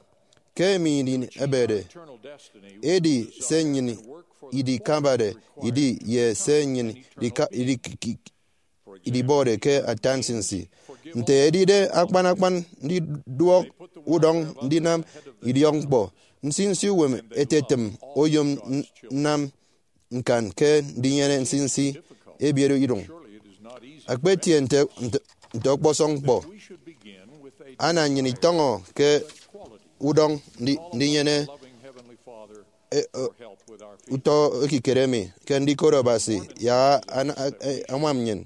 ke emi nnyịn ẹbede, edi se nnyịn idikabade idi ye se nnyịn idika- idiki- idibọde ke ata nsinsi. Nte edide akpan akpan ndiduọk udọñ ndinam idiọkñkpọ, nsinsi uwem etetịm oyom n- nnam ñkan ke ndinyene nsinsi ebiet iduñ. Akpetie nte, nte, nte ọkpọsọñ ñkpọ. Ana nnyịn itọñọ ke udọñ ndi- ndinyene e- e- utọ ekikere emi ke ndikot Abasi yak ana- e- e- añwam nnyịn.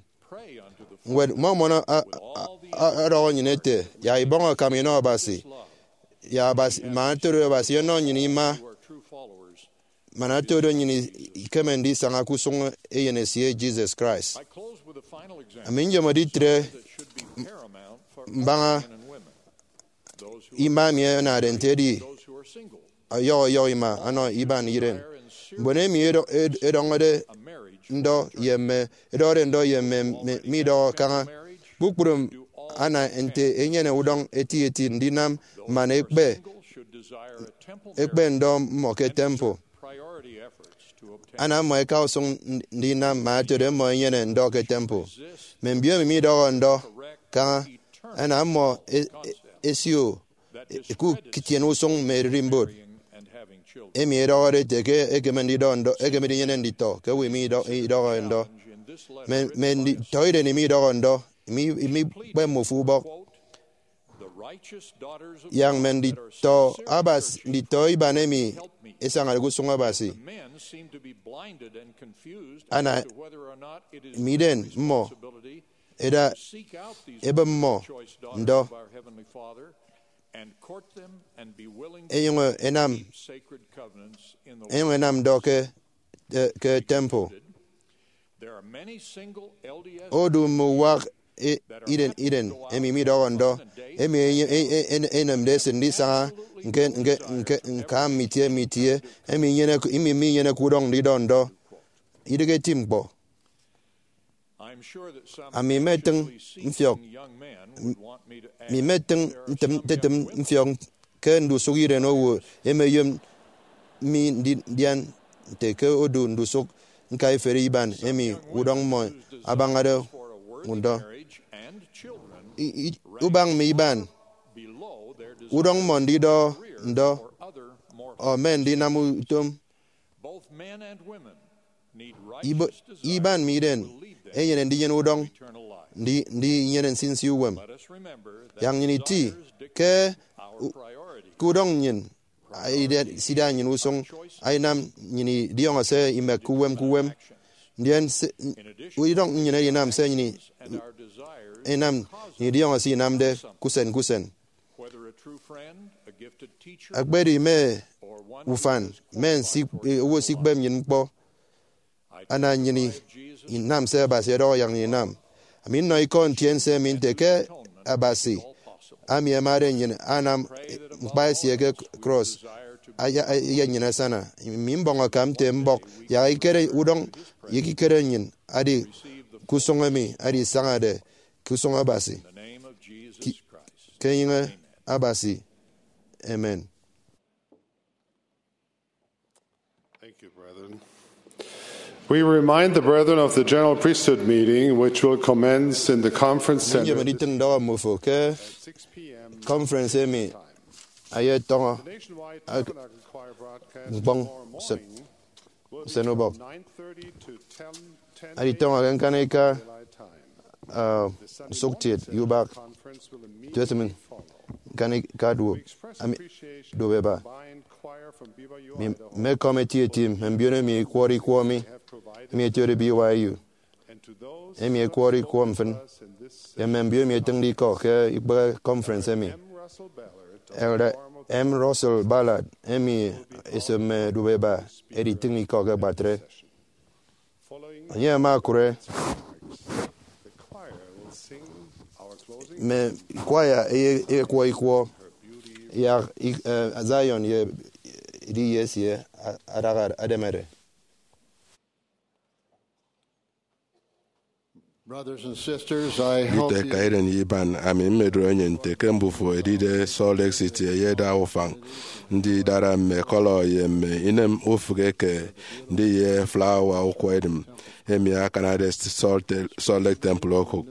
Ñwed Mormon a- a- a- ọdọhọ nnyịn ete, yak ibọñ akam inọ Abasi, yak Abasi, man otodu Abasi ọnọ nnyịn ima, man otodu nnyịn ikeme ndisaña ke usụñ Eyen esie Jesus Christ. Ami nyomode itre mbaña ima emi anade nte edi ọyọhọ ọyọhọ ima ọnọ iban iren. Mbon emi edọ- ed- edọñọde ndọ ye mme edọhọde ndọ ye mme mme- midọhọ kaña, kpukpru ana nte enyene udọñ eti eti ndinam man ekpe ekpe ndọ mmọ ke temple. Ana mmọ eka usụñ ndinam man otodu mmọ enyene ndọ ke temple. Mme mbiomi midọhọ ndọ kaña, ana mmọ e- e- esio e- ke ukitiene usụñ mme ererimbot emi edọhọde ete ke ekeme ndidọ ndọ, ekeme ndinyene nditọ ke owo emi idọ- idọhọ ndọ. Mme mme nditọ iren emi idọhọ ndọ, emi emi ikpe mmọ ofu ubọk. Yak mme nditọ Abasi, nditọ iban emi esañade ke usụñ Abasi, ana mme iden mmọ eda ebe mmọ ndọ. Enyụñ enam enyụñ enam ndọ ke ke temple. Odu mme uwak e- iren iren emi midọhọ ndọ, emi enye- e- e- en- enemde esịt ndisaña nke nke nke ñka mme itie mme itie, emi inyeneke emi minyeneke udọñ ndidọ ndọ. Idịghe eti ñkpọ. Ami metịñ mfiọk mi metịñ ntịm- ntịtịm mfiọk ke ndusụk iren owo emeyom mi ndi- ndian nte ke odu ndusụk ñkaiferi iban emi udọñ mmọ abañade ndọ. I- i- ubañ mme iban udọñ mmọ ndidọ ndọ, ọ mme ndinam utom. Ibo- iban mme iden enyene ndinyene udọñ ndi- ndinyene nsinsi uwem. Yak nnyịn iti ke u- ke udọñ nnyịn aida- sida nnyịn usụñ, ainam nnyịn idiọñọ se imek ke uwem ke uwem. Ndien se- udọñ nnyịn edinam se nnyịn i- inam nnyịn idiọñọ se inamde ke usen ke usen. Akpedi mme ufan, mme nsi-, owo esikpep nnyịn ñkpọ, ana nnyịn inam se Abasi ọdọhọ yak nnyịn inam. Ami nnọ ikọ ntiense emi nte ke Abasi, ami amade nnyịn, anam ñkpa esie ke cross, aya-, ayat nnyịn asana. Mi mbọñ akam nte mbọk yak ekikere udọñ ye ekikere nnyịn adi ke usụñ emi adi isañade ke usụñ Abasi. Ki-, ke enyịñ Abasi. Amen. Thank you, brethren. We remind the brethren of the General Priesthood meeting, which will commence in the Conference Center. Nyem nditịñ ndọhọ mmofo ke conference emi ayetọñọ ak-, ñkpọñ usen, usen ubọk. Aditọñọ ke ñkanika, uh, nsụktiet ye ubak tuesịm ñkanika duop, ami, duop eba. Mi, mme kọmiti eti mme mbiono emi ẹkwọrọ ikwọ mi, emi ẹtiede B Y U, emi ẹkwọrọ ikwọ mfịn, ye mme mbiono emi ẹtịñde ikọ ke ikpehe conference emi. Elder M. Russell Ballard, emi esop mme duop eba, editịñ ikọ ke akpatre. Enye ama okụre mme kwaya eyekwọ ikwọ yak, eh, Zion ye ediye esie adaha ademede. Brothers and sisters, I hope Nditọ eka iren ye iban, ami mmedoro enyịn nte ke mbufo edide Salt Lake City eyeda ufañ ndidara mme kọlọ ye mme inem ufịk eke ndiye flawa ukwọ edịm emi akanade Salt, Salt Lake Temple okụk.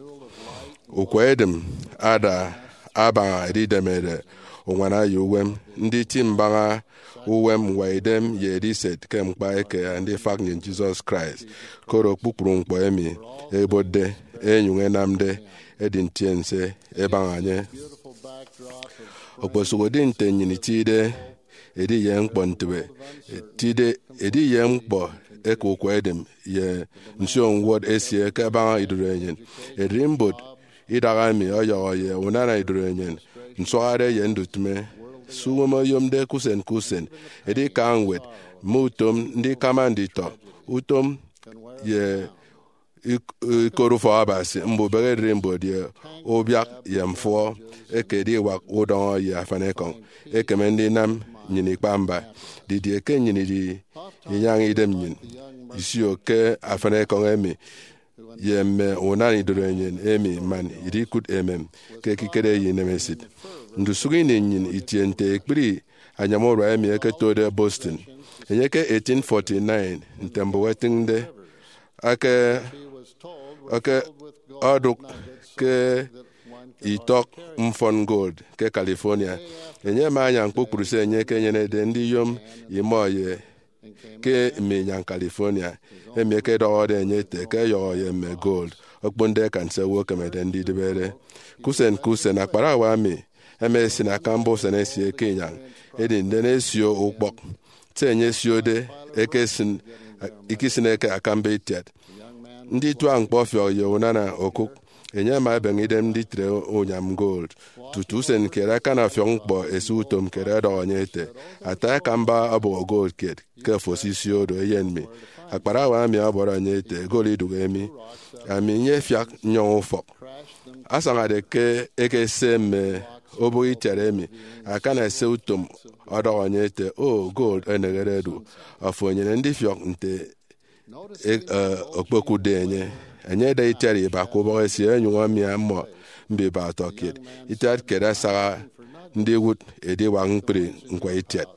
Ukwọ edịm ada abaña edidemede uñwana ye uwem, nditi mbaña uwem ñwaidem ye ediset ke ñkpa eke andifak nnyịn Jesus Christ, koro kpukpru ñkpọ emi ẹbotde ẹnyụñ ẹnamde ẹdi ntiense ẹbaña enye. Okposụkedi nte nnyịn itide ediye ñkpọ ntịbe, itide ediye ñkpọ eke ukwọ edịm ye nsio ñwọt esie ke abaña idorenyin, ererimbot idaha emi ọyọhọ ye unana idorenyin, nsuahade ye ndutịme. Se uwem oyomde ke usen ke usen edi ikañ ñwed, mme utom ndikama nditọ, utom ye ik-, ikot ufọk Abasi, mbubehe ererimbot ye ubiak ye mfụhọ eke ediwak udọñọ ye afanikọñ ekeme ndinam nnyịn ikpa mba. Didie ke nnyịn idi inyañ idem nnyịn isio ke afanikọñ emi ye mme unana idorenyin emi man idikụt emem ke ekikere ye inemesit? Ndusụk ini nnyịn itie nte ekpri anyam urua emi ẹketode Boston. Enye ke eighteen forty-nine, nte mbụk ẹtịñde, ake, ake odụk ke itọk mfọn gold ke California. Enye ama anyañ kpukpru se enye ekenyenede ndiyom imọ ye ke mme inyañ California, emi ẹkedọhọde enye ete ke ẹyọhọ ye mme gold, okponde akan se owo ekemede ndidịbere. Ke usen ke usen, akparawa emi ẹma ẹsịn akamba usen esie ke inyañ, edi ndien ẹsio ukpọk. Se enye esiode ekesịn, ikisịne ke akamba itiat. Ndituak ñkpọfiọk ye unana okụk, enye ama ebeñe idem nditre unyam gold. Tutu usen kiet, akana ọfiọk ñkpọ esie utom kiet ọdọhọ enye ete, "Ata akamba ọbọhọ gold kiet ke ofo esisio do, eyen mi." Akparawa emi ọbọrọ enye ete, "Gold idụhe mi, ami nyefiak nnyọñ ufọk." Asañade ke ekese mme obụk itiat emi, akana esie utom ọdọhọ enye ete, "O, gold enehede edu, afo enyene ndifiọk nte e, e, okpokụtde enye." Enye ada itiat iba ke ubọk esie, ẹnyụñ ẹmia mmọ mbiba ọtọkiet. Itiat kiet asaha ndiwụt ediwak ñkpri ñkwa itiat.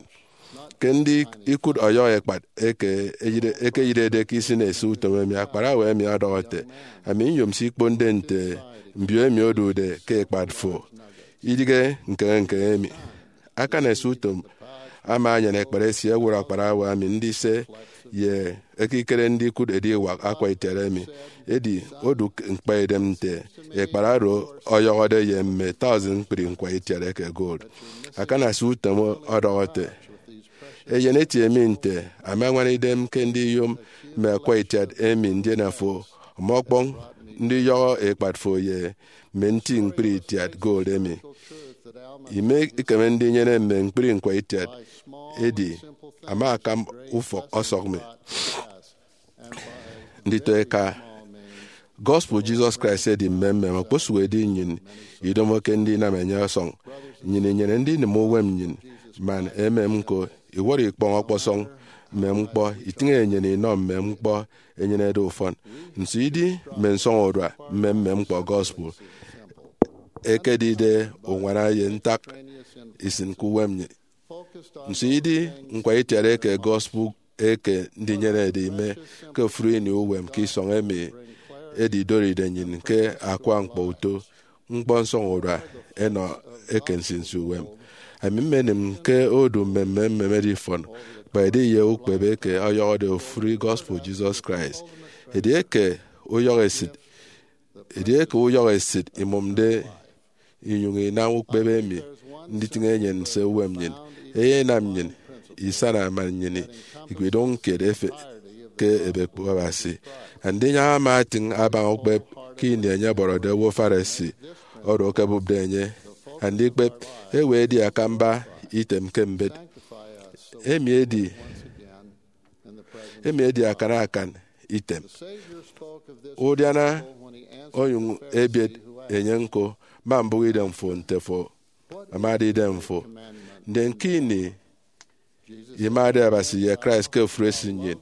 Ke ndikụt ọyọhọ ekpat eke eyire-, eke eyirede ke isịn esie utom emi, akparawa emi ọdọhọ ete, "Ami nyom se ikponde nte mbio emi odude ke ekpat fo, idịghe ñkeñe ñkeñe emi." Akana esie utom ama anyan ekpat esie ẹwụt akparawa emi ndise ye ekikere ndikụt ediwak akwa itiat emi. Edi odụk ñkpaidem nte ekpat oro ọyọhọde ye mme thousand ñkpri ñkwa itiat eke gold. Akana esie utom ọdọhọ ete, "Eyen eti emi nte ama añwana idem ke ndiyom mme akwa itiat emi, ndien afo ọmọkpọñ ndiyọhọ ekpat fo ye mme nti ñkpri itiat gold emi. Ime ikeme ndinyene mme ñkpri ñkwa itiat edi ama akam ufọk ọsọk mi. Nditọ eka, gospel Jesus Christ edi mmemmem. Okposụkedi nnyịn idomoke ndinam enye ọsọñ, nnyịn inyene ndinịm uwem nnyịn man emem ñko. Iwọrọ ikpọñ ọkpọsọñ mmem ñkpọ, itịñ enyene inọ mmem ñkpọ enyenede ufọn. Nso idi mme nsọñurua mme mmem ñkpọ gospel ekedide uñwana ye ntak isịn ke uwem nnyịn? Nso idi ñkwa itiat eke gospel eke ndinyenede ime ke ofụri ini uwem ke isọñ emi edidoride nnyịn ke akwa ñkpọ uto ñkpọ nsọñurua ẹnọ eke nsinsi uwem? Ami mmenịm ke odu mme mmemmem edifọn, kpa edi ye ukpebe eke ọyọhọde ofụri gospel Jesus Christ. Edieke uyọhọ esịt, edieke uyọhọ esịt imụmde inyụñ inam ukpebe emi nditịñ enyịn nse uwem nnyịn, eyenam nnyịn isana man nnyịn ikpidụñ kiet efe ke ebekpo Abasi. Andinyaña ama atịñ abaña ukpep ke ini enye ọbọrọde owo Pharisee oro okebụpde enye. Andikpep ewe edi akamba item ke mbet. Emi edi, emi edi akan akan item. Udiana onyụñ ebiet enye ñko, ma mbụk idemfo nte fo amade idemfo. Ndien ke ini imade Abasi ye Christ ke ofụri esịt nnyịn,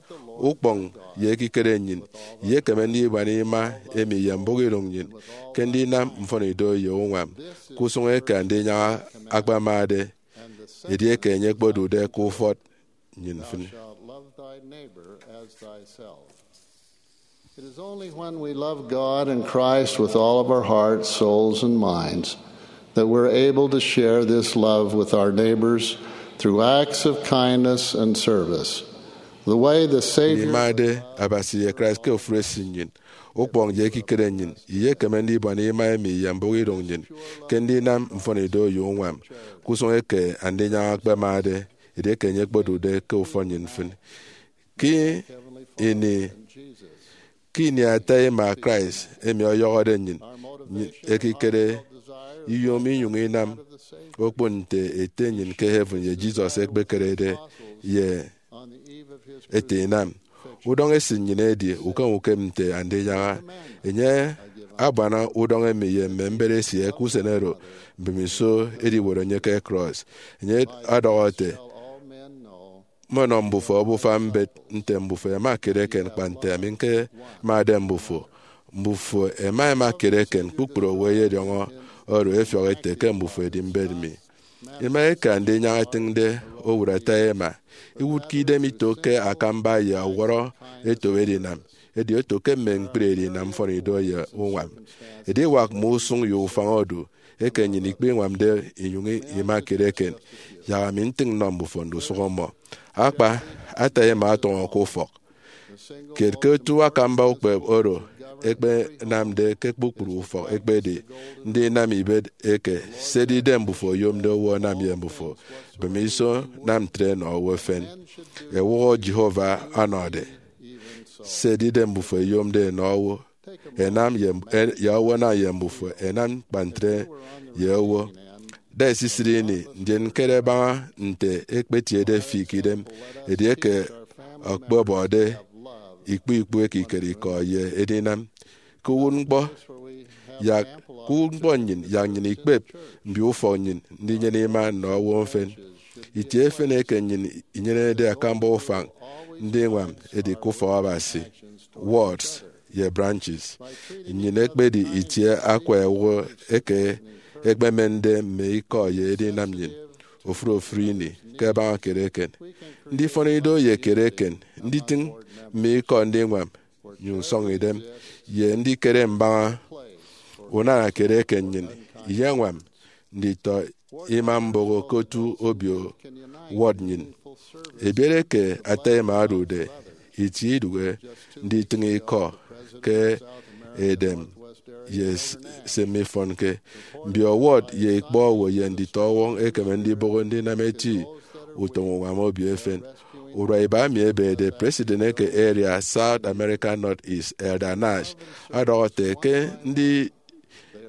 ukpọñ ye ekikere nnyịn iyekeme ndibuana ima emi ye mbụk idụñ nnyịn ke ndinam mfọnido ye uñwam ke usụñ eke Andinyaña akpamade edieke enye okpodude ke ufọt nnyịn mfịn. Thou shalt love thy neighbor as thyself. It is only when we love God and Christ with all of our hearts, souls, and minds that we're able to share this love with our neighbors through acts of kindness and service. The way the Savior Ndimade Abasi ye Christ ke ofụri esịt nnyịn, ukpọñ ye ekikere nnyịn iyekeme ndibuana ima emi ye mbụk idụñ nnyịn ke ndinam mfọnido ye uñwam ke usụñ eke Andinyaña akpamade edieke enye okpodude ke ufọt nnyịn mfịn. Ke ini, ke ini ata ima Christ emi ọyọhọde nnyịn, nnyịn ekikere iyom inyụñ inam okpon nte Ete nnyịn ke heaven ye Jesus ekpekerede ye ete inam. Udọñ esịt nnyịn edi ukem ukem nte Andinyaña. Enye abuana udọñ emi ye mme mbet esie ke usen oro mbemiso ediworo enye ke cross. Enye ọdọhọ ete, mmenọ mbufo obufa mbet nte mbufo ẹma kiet eken kpa nte ami ñkemade mbufo. Mbufo ẹma ẹma kiet eken, kpukpru owo ẹyediọñọ oro ẹfiọk ẹte ke mbufo ẹdi mbet mi. Ima eke Andinyaña etịñde owụt ata ima, iwụtke idem ito ke akamba ye ọwọrọ eto edinam, edi oto ke mme ñkpri edinam mfọnido ye uñwam. Ediwak mme usụñ ye ufañ odu eke nnyịn ikpiñwamde inyụñ ima kiet eken, yak ami ntịñ nnọ mbufo ndusụk mmọ. Akpa, ata ima ọtọñọ ke ufọk kiet ke otu akamba ukpep oro ẹkpenamde ke kpukpru ufọk ekpedi ndinam ibet eke se edide mbufo oyomde owo ẹnam ye mbufo. Bem iso nam ntre nọ owo efen. Ewụhọ Jehovah ọnọde se edide mbufo eyomde ẹnọ owo ẹnam ye, ye owo ẹnam ye mbufo, ẹnam kpa ntre ye owo. Da esisịt ini, ndien ñkere baña nte ekpetiede fi ke idem edieke okpobọde ikpu ikpu ekikere ikọ ye edinam. Ke uwụtñkpọ, yak, ke uwụtñkpọ nnyịn, yak nnyịn ikpep mbio ufọk nnyịn ndinyene ima nnọ owo mfịn. Itie efen eke nnyịn inyenede akamba ufañ ndiñwam edi ke ufọk Abasi, wards, ye branches. Nnyịn ekpedi itie akwa owo eke ẹkpemende mme ikọ ye edinam nnyịn ofụri ofụri ini ke ẹbaña kiet eken. Ndifọn ido ye kiet eken, nditịñ mme ikọ ndiñwam nyụñ sọñọ idem, ye ndikere mbaña unana kiet eken nnyịn iyeñwam nditọ ima mboho ke otu obio ward nnyịn. Ebiere ke ata ima odude itie idụhe nditịñ ikọ ke edem ye s-, se mifọnke. Mbio ward ye ikpọ owo ye nditọ ọwọñ ẹkeme ndiboho ndinam eti utom uñwam obio efen. Urua iba mi ebede, President eke Area South America Northeast, Elder Nash, ọdọhọ ete ke ndi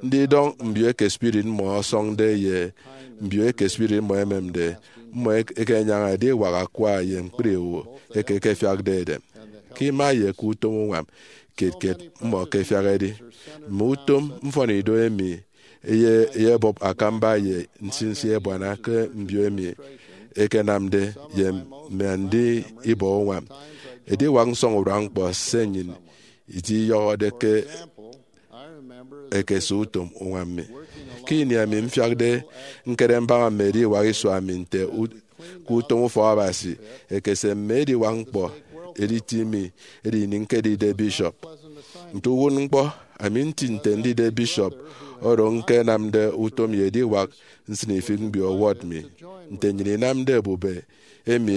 Ndidọñ mbio eke spirit mmọ ọsọñde ye mbio eke spirit mmọ ememde, mmọ ekenyaña ediwak akwa ye ñkpri owo eke ekefiakde edem, ke ima ye ke utom uñwam kiet kiet mmọ ke efiak edi. Mme utom mfọnido emi eyebọp akamba ye nsinsi ebuana ke mbio emi ekenamde ye mme andi ibọ uñwam. Ediwak nsọñurua ñkpọ se nnyịn idiyọhọde ke ekese utom uñwam mi. Ke ini ami mfiakde ñkere mbaña mme ediwak isua mi nte ke utom ufọkabasi ekese mme ediwak ñkpọ, editi mi edi ini ñkedide bishop. Nte uwụtñkpọ, ami nti nte ndide bishop oro ñkenamde utom ye ediwak nsịnifịk mbio ward mi. Nte nnyịn inamde ebube emi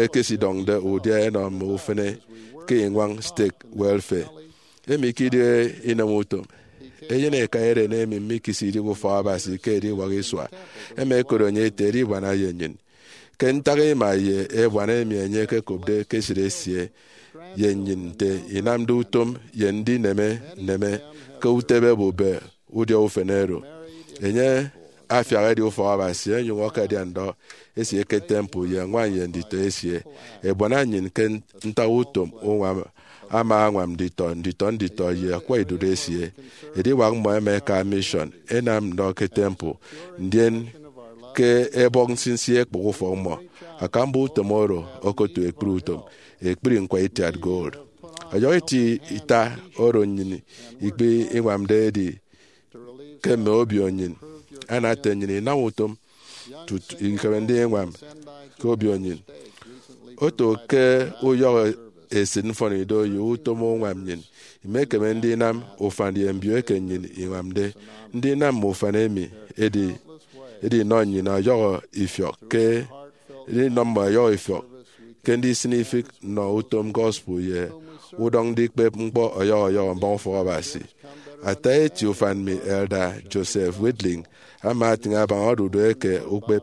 ekesidọñde udia enọ mme ufene ke iñwañ stake welfare emi ke idịghe inem utom. Eyen eka eren emi mikisidi ke ufọkabasi ke ediwak isua, emi ẹkot enye ete edibuana ye nnyịn. Ke ntak ima ye ebuana emi enye ekekopde ke esịt esie ye nnyịn nte inamde utom ye ndineme nneme ke utebe ebube udia ufene oro, enye afiak edi ufọkabasi, enyụñ akadia ndọ esie ke temple ye ñwan ye nditọ esie. Ebuana nnyịn ke ntak utom uñwam ama añwam nditọ nditọ nditọ ye akwa idụt esie. Ediwak mmọ ẹma ẹka mission, ẹnam ndọ ke temple, ndien ke ẹbọk nsinsi ẹkpụk ufọk mmọ. Akamba utom oro okotu ekpri utom, ekpri ñkwaitiat gold. Ọyọhọ eti ita oro nnyịn ikpe iñwamde edi ke mme obio nnyịn anate nnyịn inam utom tutu ikeme ndiñwam ke obio nnyịn. Oto ke uyọhọ esịt mfọnido ye utom uñwam nnyịn, imekeme ndinam ufan ye mbio eke nnyịn iñwamde. Ndinam mme ufan emi edi edinọ nnyịn ọyọhọ ifiọk ke edinọ mmọ ọyọhọ ifiọk ke ndisịn ifịk nnọ utom gospel ye udọñ ndikpep ñkpọ ọyọhọ ọyọhọ mbaña ufọkabasi. Ata eti ufan mi, Elder Joseph Widling, ama atịñ abaña odudu eke ukpep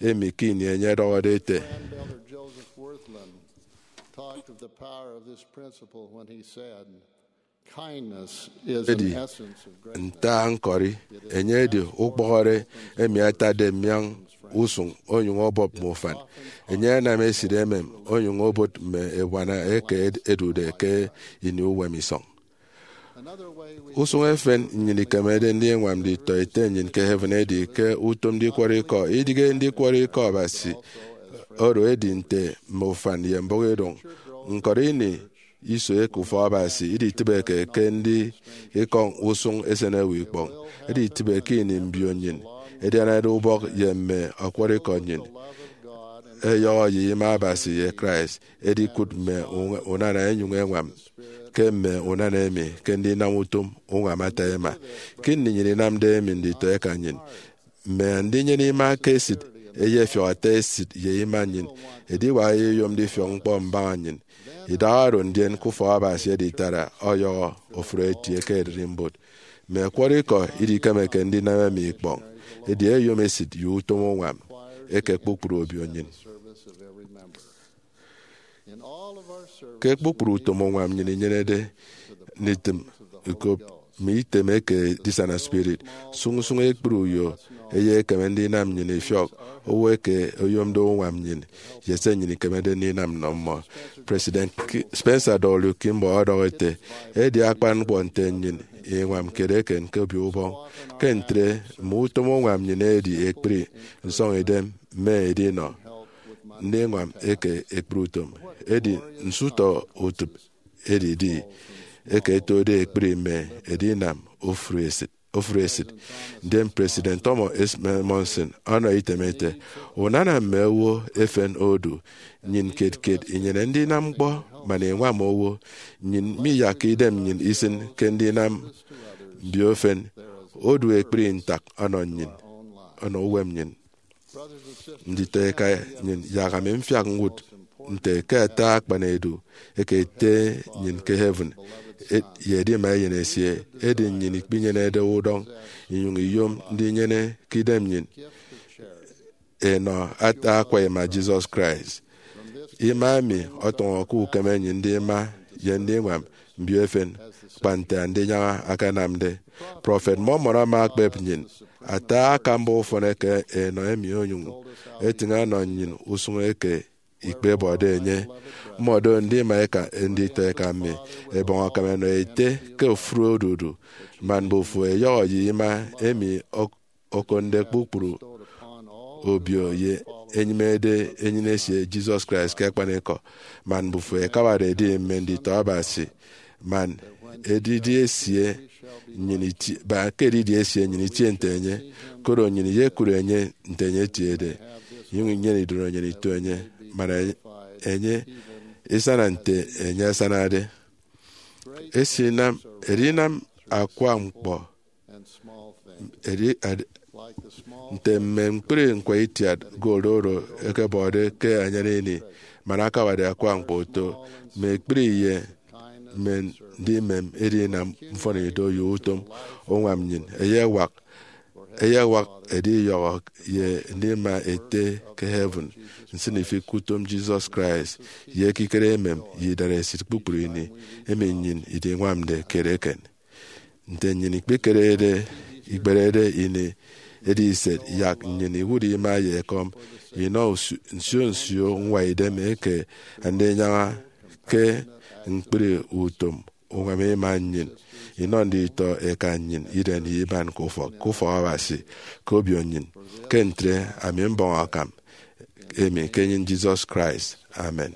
emi ke ini enye ọdọhọde ete, Elder Joseph Wirthlin talked of the power of this principle when he said, "Kindness is an edi essence of great nta ñkọri, enye edi ukpọhọre emi atatde mmiañ usụñ onyụñ ọbọp mme ufan. Enye anam esịt emem onyụñ obot mme ebuana eke ed- edude ke ini uwem isọñ." Usụñ efen nnyịn ikemede ndiñwam nditọete nnyịn ke heaven edi ke utom ndikwọrọ ikọ. Idịghe ndikwọrọ ikọ Abasi oro edi nte mme ufan ye mbụk idụñ. Ñkọri ini iso eke ufọkabasi iditịbeke ke ndi ikọñ usụñ esen ewe ikpọñ. Editịbe ke ini mbio nnyịn ẹdianade ubọk ye mme ọkwọrọ ikọ nnyịn ẹyọhọ ye ima Abasi ye Christ, edikụt mme unana ẹnyụñ ẹñwam ke mme unana emi ke ndinam utom uñwam ata ima. Ke ini nnyịn inamde emi nditọ eka nnyịn, mme andinyene ima ke esịt ẹyefiọk ata esịt ye ima nnyịn, ediwak ẹyeyom ndifiọk ñkpọ mbaña nnyịn. Idaha oro ndien ke ufọkabasi editara ọyọhọ ofụri eti eke ererimbot. Mme ọkwọrọ ikọ idikemeke ndinam emi ikpọñ, edi ẹyom esịt ye utom uñwam eke kpukpru obio nnyịn. Ke kpukpru utom uñwam nnyịn inyenede nditịm ikop mme item eke edisana spirit. Sụñsụñ ekpri uyo eyekeme ndinam nnyịn ifiọk owo eke oyomde uñwam nnyịn ye se nnyịn ikemede ndinam nnọ mmọ. President Ki- Spencer W. Kimball ọdọhọ ete, edi akpan ñkpọ nte nnyịn iñwam kiet eken ke obio ubọñ. Ke ntre, mme utom uñwam nnyịn edi ekpri nsọñidem mme edinọ ndiñwam eke ekpri utom. Edi nso-utọ utịp edidi eke ẹtode ekpri mme edinam ofụri esịt. Ofụri esịt. Ndien President Thomas S. Monson ọnọ item ete, unana mme owo efen odu. Nnyịn kiet kiet inyene ndinam ñkpọ man iñwam owo. Nnyịn miyakke idem nnyịn isịn ke ndinam mbio efen odu ekpri ntak ọnọ nnyịn, ọnọ uwem nnyịn. Nditọ eka nnyịn, yak ami mfiak ñwụt nte ke ata akpan edu eke Ete nnyịn ke heaven ye edima Eyen esie, edi nnyịn ikpinyenede udọñ inyụñ iyom ndinyene ke idem nnyịn enọ ata akwa ima Jesus Christ. Ima emi ọtọñọ ke ukeme nnyịn ndima ye ndiñwam mbio efen kpa nte andinyaña akanamde. Prọfet Mormon ama ekpep nnyịn ata akamba ufọn eke enọ emi onyụñ etịñ ọnọ nnyịn usụñ eke ikpebọde enye. Mmọdo ndima eka nditọ eka mi ẹbọñ akam ẹnọ ete ke ofụri odudu, man mbufo ẹyọhọ ye ima emi ok- okụtde kpukpru obio ye enyịmede enyịn esie Jesus Christ ke akpanikọ, man mbufo ẹkabade ẹdi mme nditọ Abasi, man edidi esie nnyịn iti- ba ke edidi esie nnyịn itie nte enye, koro nnyịn iyekụre enye nte enye etiede, inyụñ inyene idorenyin ito enye, man enye isana nte enye asanade. Esinam, edinam akwa ñkpọ edi- ad- nte mme ñkpri ñkwaitiat gold oro ẹkebọde ke anyan ini, man akabade akwa ñkpọ oto mme ekpri ye mme ndimem edinam mfọnido ye utom uñwam nnyịn. Eyewak, eyewak ediyọhọ ye ndima ete ke heaven nsịnifịk ke utom Jesus Christ ye ekikere emem ye idaresit kpukpru ini emi nnyịn idiñwamde kiet eken. Nte nnyịn ikpekerede, ikperede ini ediset, yak nnyịn iwụt ima ye ekọm inọ usu- nsio nsio ñwaidem eke andinyaña ke ñkpri utom uñwam ima nnyịn inọ nditọ eka nnyịn idem ye iban ke ufọk, ke ufọk Abasi, ke obio nnyịn. Ke ntre, ami mbọñ akam emi ke enyịn Jesus Christ. Amen.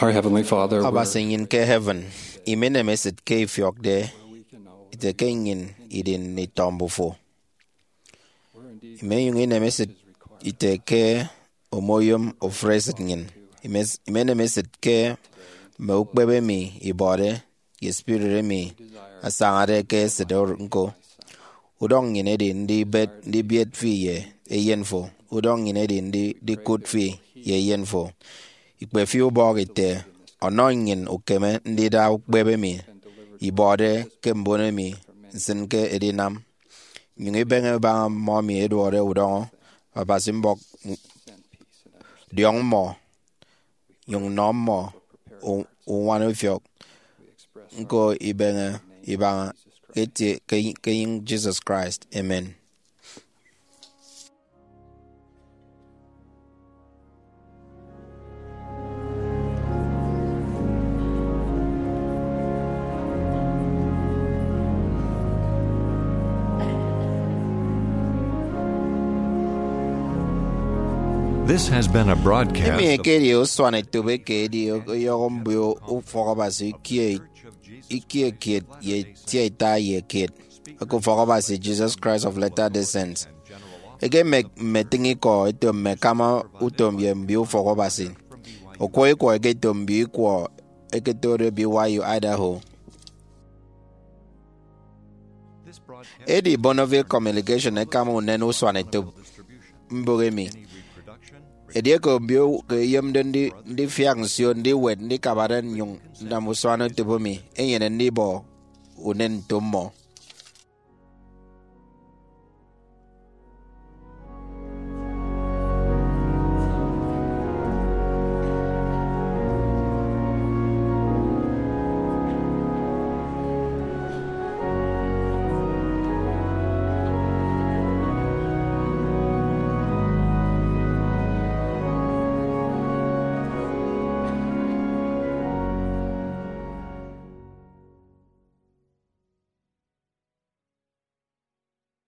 Our Heavenly Father, we're Abasi nnyịn ke heaven, imenem esịt ke ifiọkde ite ke nnyịn idi nditọ mbufo. Imenyụñ inem esịt ite ke omoyom ofụri esịt nnyịn. Imes- imenem esịt ke mme ukpep emi ibọde ye spirit emi asañade ke esịt or- ñko. Udọñ nnyịn edi ndibet ndibiet fi ye eyen fo. Udọñ nnyịn edi ndi- ndikụt fi ye eyen fo. Ikpe fi ubọk ite, ọnọ nnyịn ukeme ndida ukpep emi ibọde ke mbon emi nsịn ke edinam. Nyụñ ibeñe ibaña mmọ emi ẹduọde udọñọ. Abasi mbọk, diọñ mmọ, nyụñ nọ mmọ u- uñwana ifiọk. Ñko ibeñe ibaña ke etie ke ke enyịñ Jesus Christ. Amen. This has been a broadcast Emi of ekedi usuanetop eke edi ọyọhọ mbio ufọk Abasi ikie ikie kiet ye itiaita ye kiet eke ufọk Abasi Jesus Christ of Latter-day Saints. Eke mme- mmetịñ ikọ eto mme akama utom ye mbio ufọk Abasi. Okwọ ikwọ eke eto mbio ikwọ eke etode B Y U Idaho. Edi Bonneville Communication ekama unen usuanetop mbụk emi. Edieke mbio ke eyomde ndi- ndifiak nsio ndiwet ndikabade nnyụñ nnam usuanetop emi, enyene ndibọ unen nto mmọ.